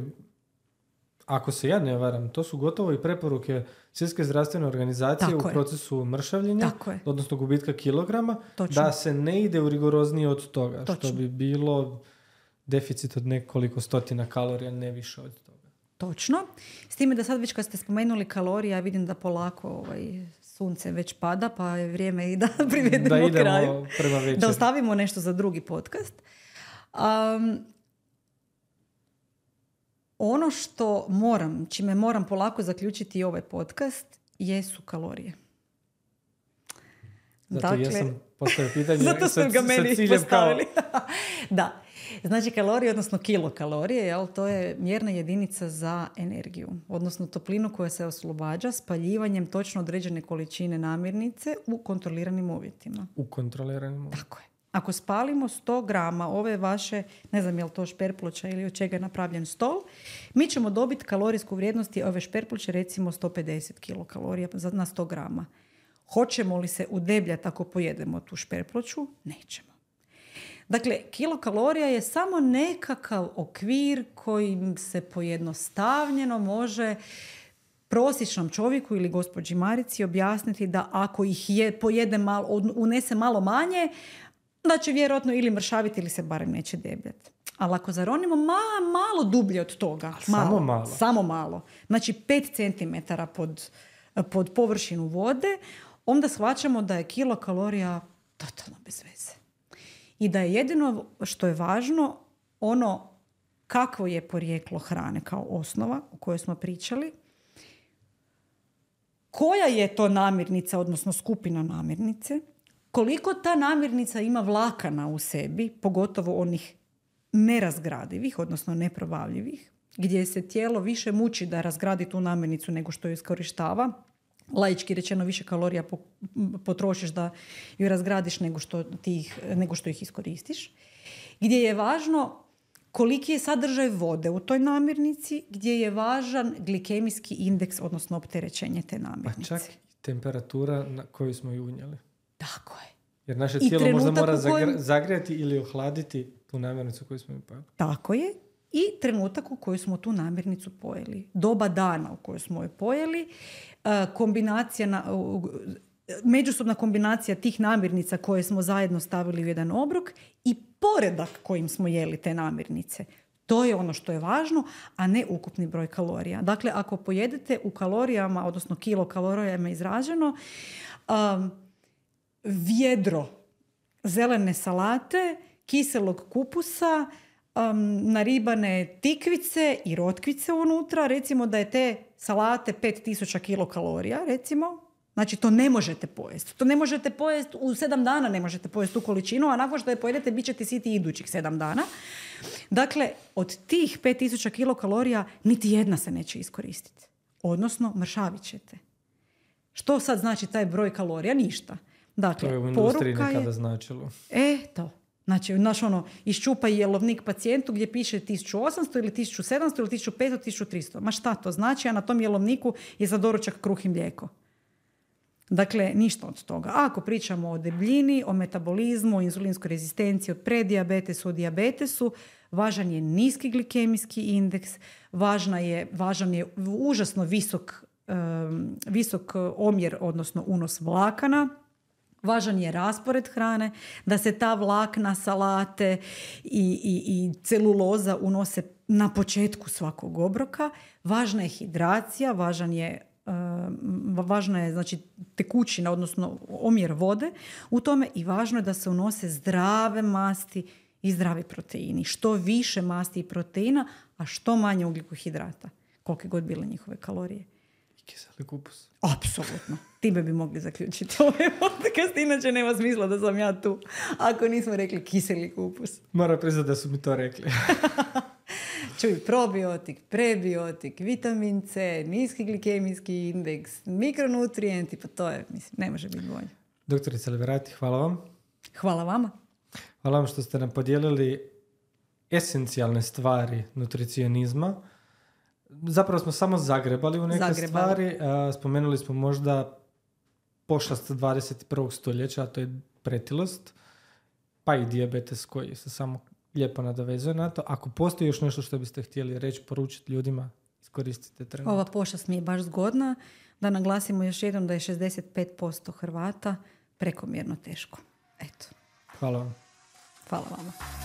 ako se ja ne varam, to su gotovo i preporuke Svjetske zdravstvene organizacije Tako u je. procesu mršavljenja, odnosno gubitka kilograma, Točno. da se ne ide u rigoroznije od toga, Točno. što bi bilo deficit od nekoliko stotina kalorija, ne više od toga. Točno. S time da sad već kad ste spomenuli kalorije, ja vidim da polako ovaj, sunce već pada, pa je vrijeme i da privedemo da idemo kraju. Prema večeri. Da ostavimo nešto za drugi podcast. Um, ono što moram, čime moram polako zaključiti ovaj podcast, jesu kalorije. Zato dakle, jesam postavio pitanje zato sa, ga meni sa ciljem postavili. Kao... Da. Znači kalorije, odnosno kilokalorije, jel, to je mjerna jedinica za energiju, odnosno toplinu koja se oslobađa spaljivanjem točno određene količine namirnice u kontroliranim uvjetima. U kontroliranim uvjetima. Tako je. Ako spalimo sto grama ove vaše, ne znam je li to šperploča ili od čega je napravljen stol, mi ćemo dobiti kalorijsku vrijednost ove šperploče recimo sto pedeset kilokalorija na sto grama. Hoćemo li se udebljati ako pojedemo tu šperploču? Nećemo. Dakle, kilokalorija je samo nekakav okvir kojim se pojednostavljeno može prosječnom čovjeku ili gospođi Marici objasniti da ako ih je, pojede malo, unese malo manje, da će vjerojatno ili mršaviti ili se barem neće debljati. Ali ako zaronimo ma, malo dublje od toga, malo, samo malo, samo malo, znači pet centimetara pod, pod površinu vode, onda shvaćamo da je kilokalorija totalno bez veze. I da je jedino što je važno ono kakvo je porijeklo hrane kao osnova o kojoj smo pričali, koja je to namirnica, odnosno skupina namirnice, koliko ta namirnica ima vlakana u sebi, pogotovo onih nerazgradivih, odnosno neprobavljivih, gdje se tijelo više muči da razgradi tu namirnicu nego što ju iskorištava. Laički rečeno više kalorija potrošiš da ju razgradiš nego što, ti ih, nego što ih iskoristiš. Gdje je važno koliki je sadržaj vode u toj namirnici, gdje je važan glikemijski indeks, odnosno opterećenje te namirnice. Pa čak i temperatura na koju smo ju unijeli. Tako je. Jer naše tijelo možda mora kojem... zagrijati ili ohladiti tu namirnicu koju smo ju pojeli. Tako je. I trenutak u kojoj smo tu namirnicu pojeli. Doba dana u kojoj smo je pojeli. Kombinacija na, međusobna kombinacija tih namirnica koje smo zajedno stavili u jedan obrok i poredak kojim smo jeli te namirnice. To je ono što je važno, a ne ukupni broj kalorija. Dakle, ako pojedete u kalorijama, odnosno kilokalorijama izraženo, um, vjedro zelene salate, kiselog kupusa, um, naribane tikvice i rotkvice unutra, recimo da je te salate pet tisuća kilokalorija, recimo, znači to ne možete pojesti. To ne možete pojesti u sedam dana, ne možete pojesti tu količinu, a nakon što je pojedete bit ćete siti idućih sedam dana. Dakle, od tih pet tisuća kilokalorija niti jedna se neće iskoristiti. Odnosno, mršavit ćete. Što sad znači taj broj kalorija? Ništa. Dakle, to je u industriji poruka nekada je, značilo. E, to. Znači, naš ono, iščupaj jelovnik pacijentu gdje piše tisuću osamsto ili tisuću sedamsto ili tisuću petsto, tisuću tristo. Ma šta to znači? A na tom jelovniku je za doručak kruh i mlijeko. Dakle, ništa od toga. A ako pričamo o debljini, o metabolizmu, o inzulinskoj rezistenciji, o predijabetesu, o dijabetesu, važan je niski glikemijski indeks, važna je, važan je užasno visok, um, visok omjer, odnosno unos vlakana, važan je raspored hrane, da se ta vlakna, salate i, i, i celuloza unose na početku svakog obroka. Važna je hidracija, važan je Uh, važna je znači tekućina, odnosno omjer vode u tome i važno je da se unose zdrave masti i zdravi proteini. Što više masti i proteina, a što manje ugljikohidrata. Kolike god bile njihove kalorije. I kiseli kupus. Apsolutno. Time bi mogli zaključiti ovaj podcast, inače nema smisla da sam ja tu ako nismo rekli kiseli kupus. Moram priznati da su mi to rekli. Čuj, probiotik, prebiotik, vitamin C, niski glikemijski indeks, mikronutrijenti, pa to je, mislim, ne može biti bolje. Doktorica Liberati, hvala vam. Hvala vama. Hvala vam što ste nam podijelili esencijalne stvari nutricionizma. Zapravo smo samo zagrebali u neke zagrebali. stvari. Spomenuli smo možda pošast dvadeset prvog stoljeća, a to je pretilost, pa i dijabetes koji se samo lijepo nadovezuje na to. Ako postoji još nešto što biste htjeli reći, poručiti ljudima, iskoristite trenutak. Ova pošast mi je baš zgodna. Da naglasimo još jednom da je šezdeset pet posto Hrvata prekomjerno teško. Eto. Hvala vam. Hvala vama.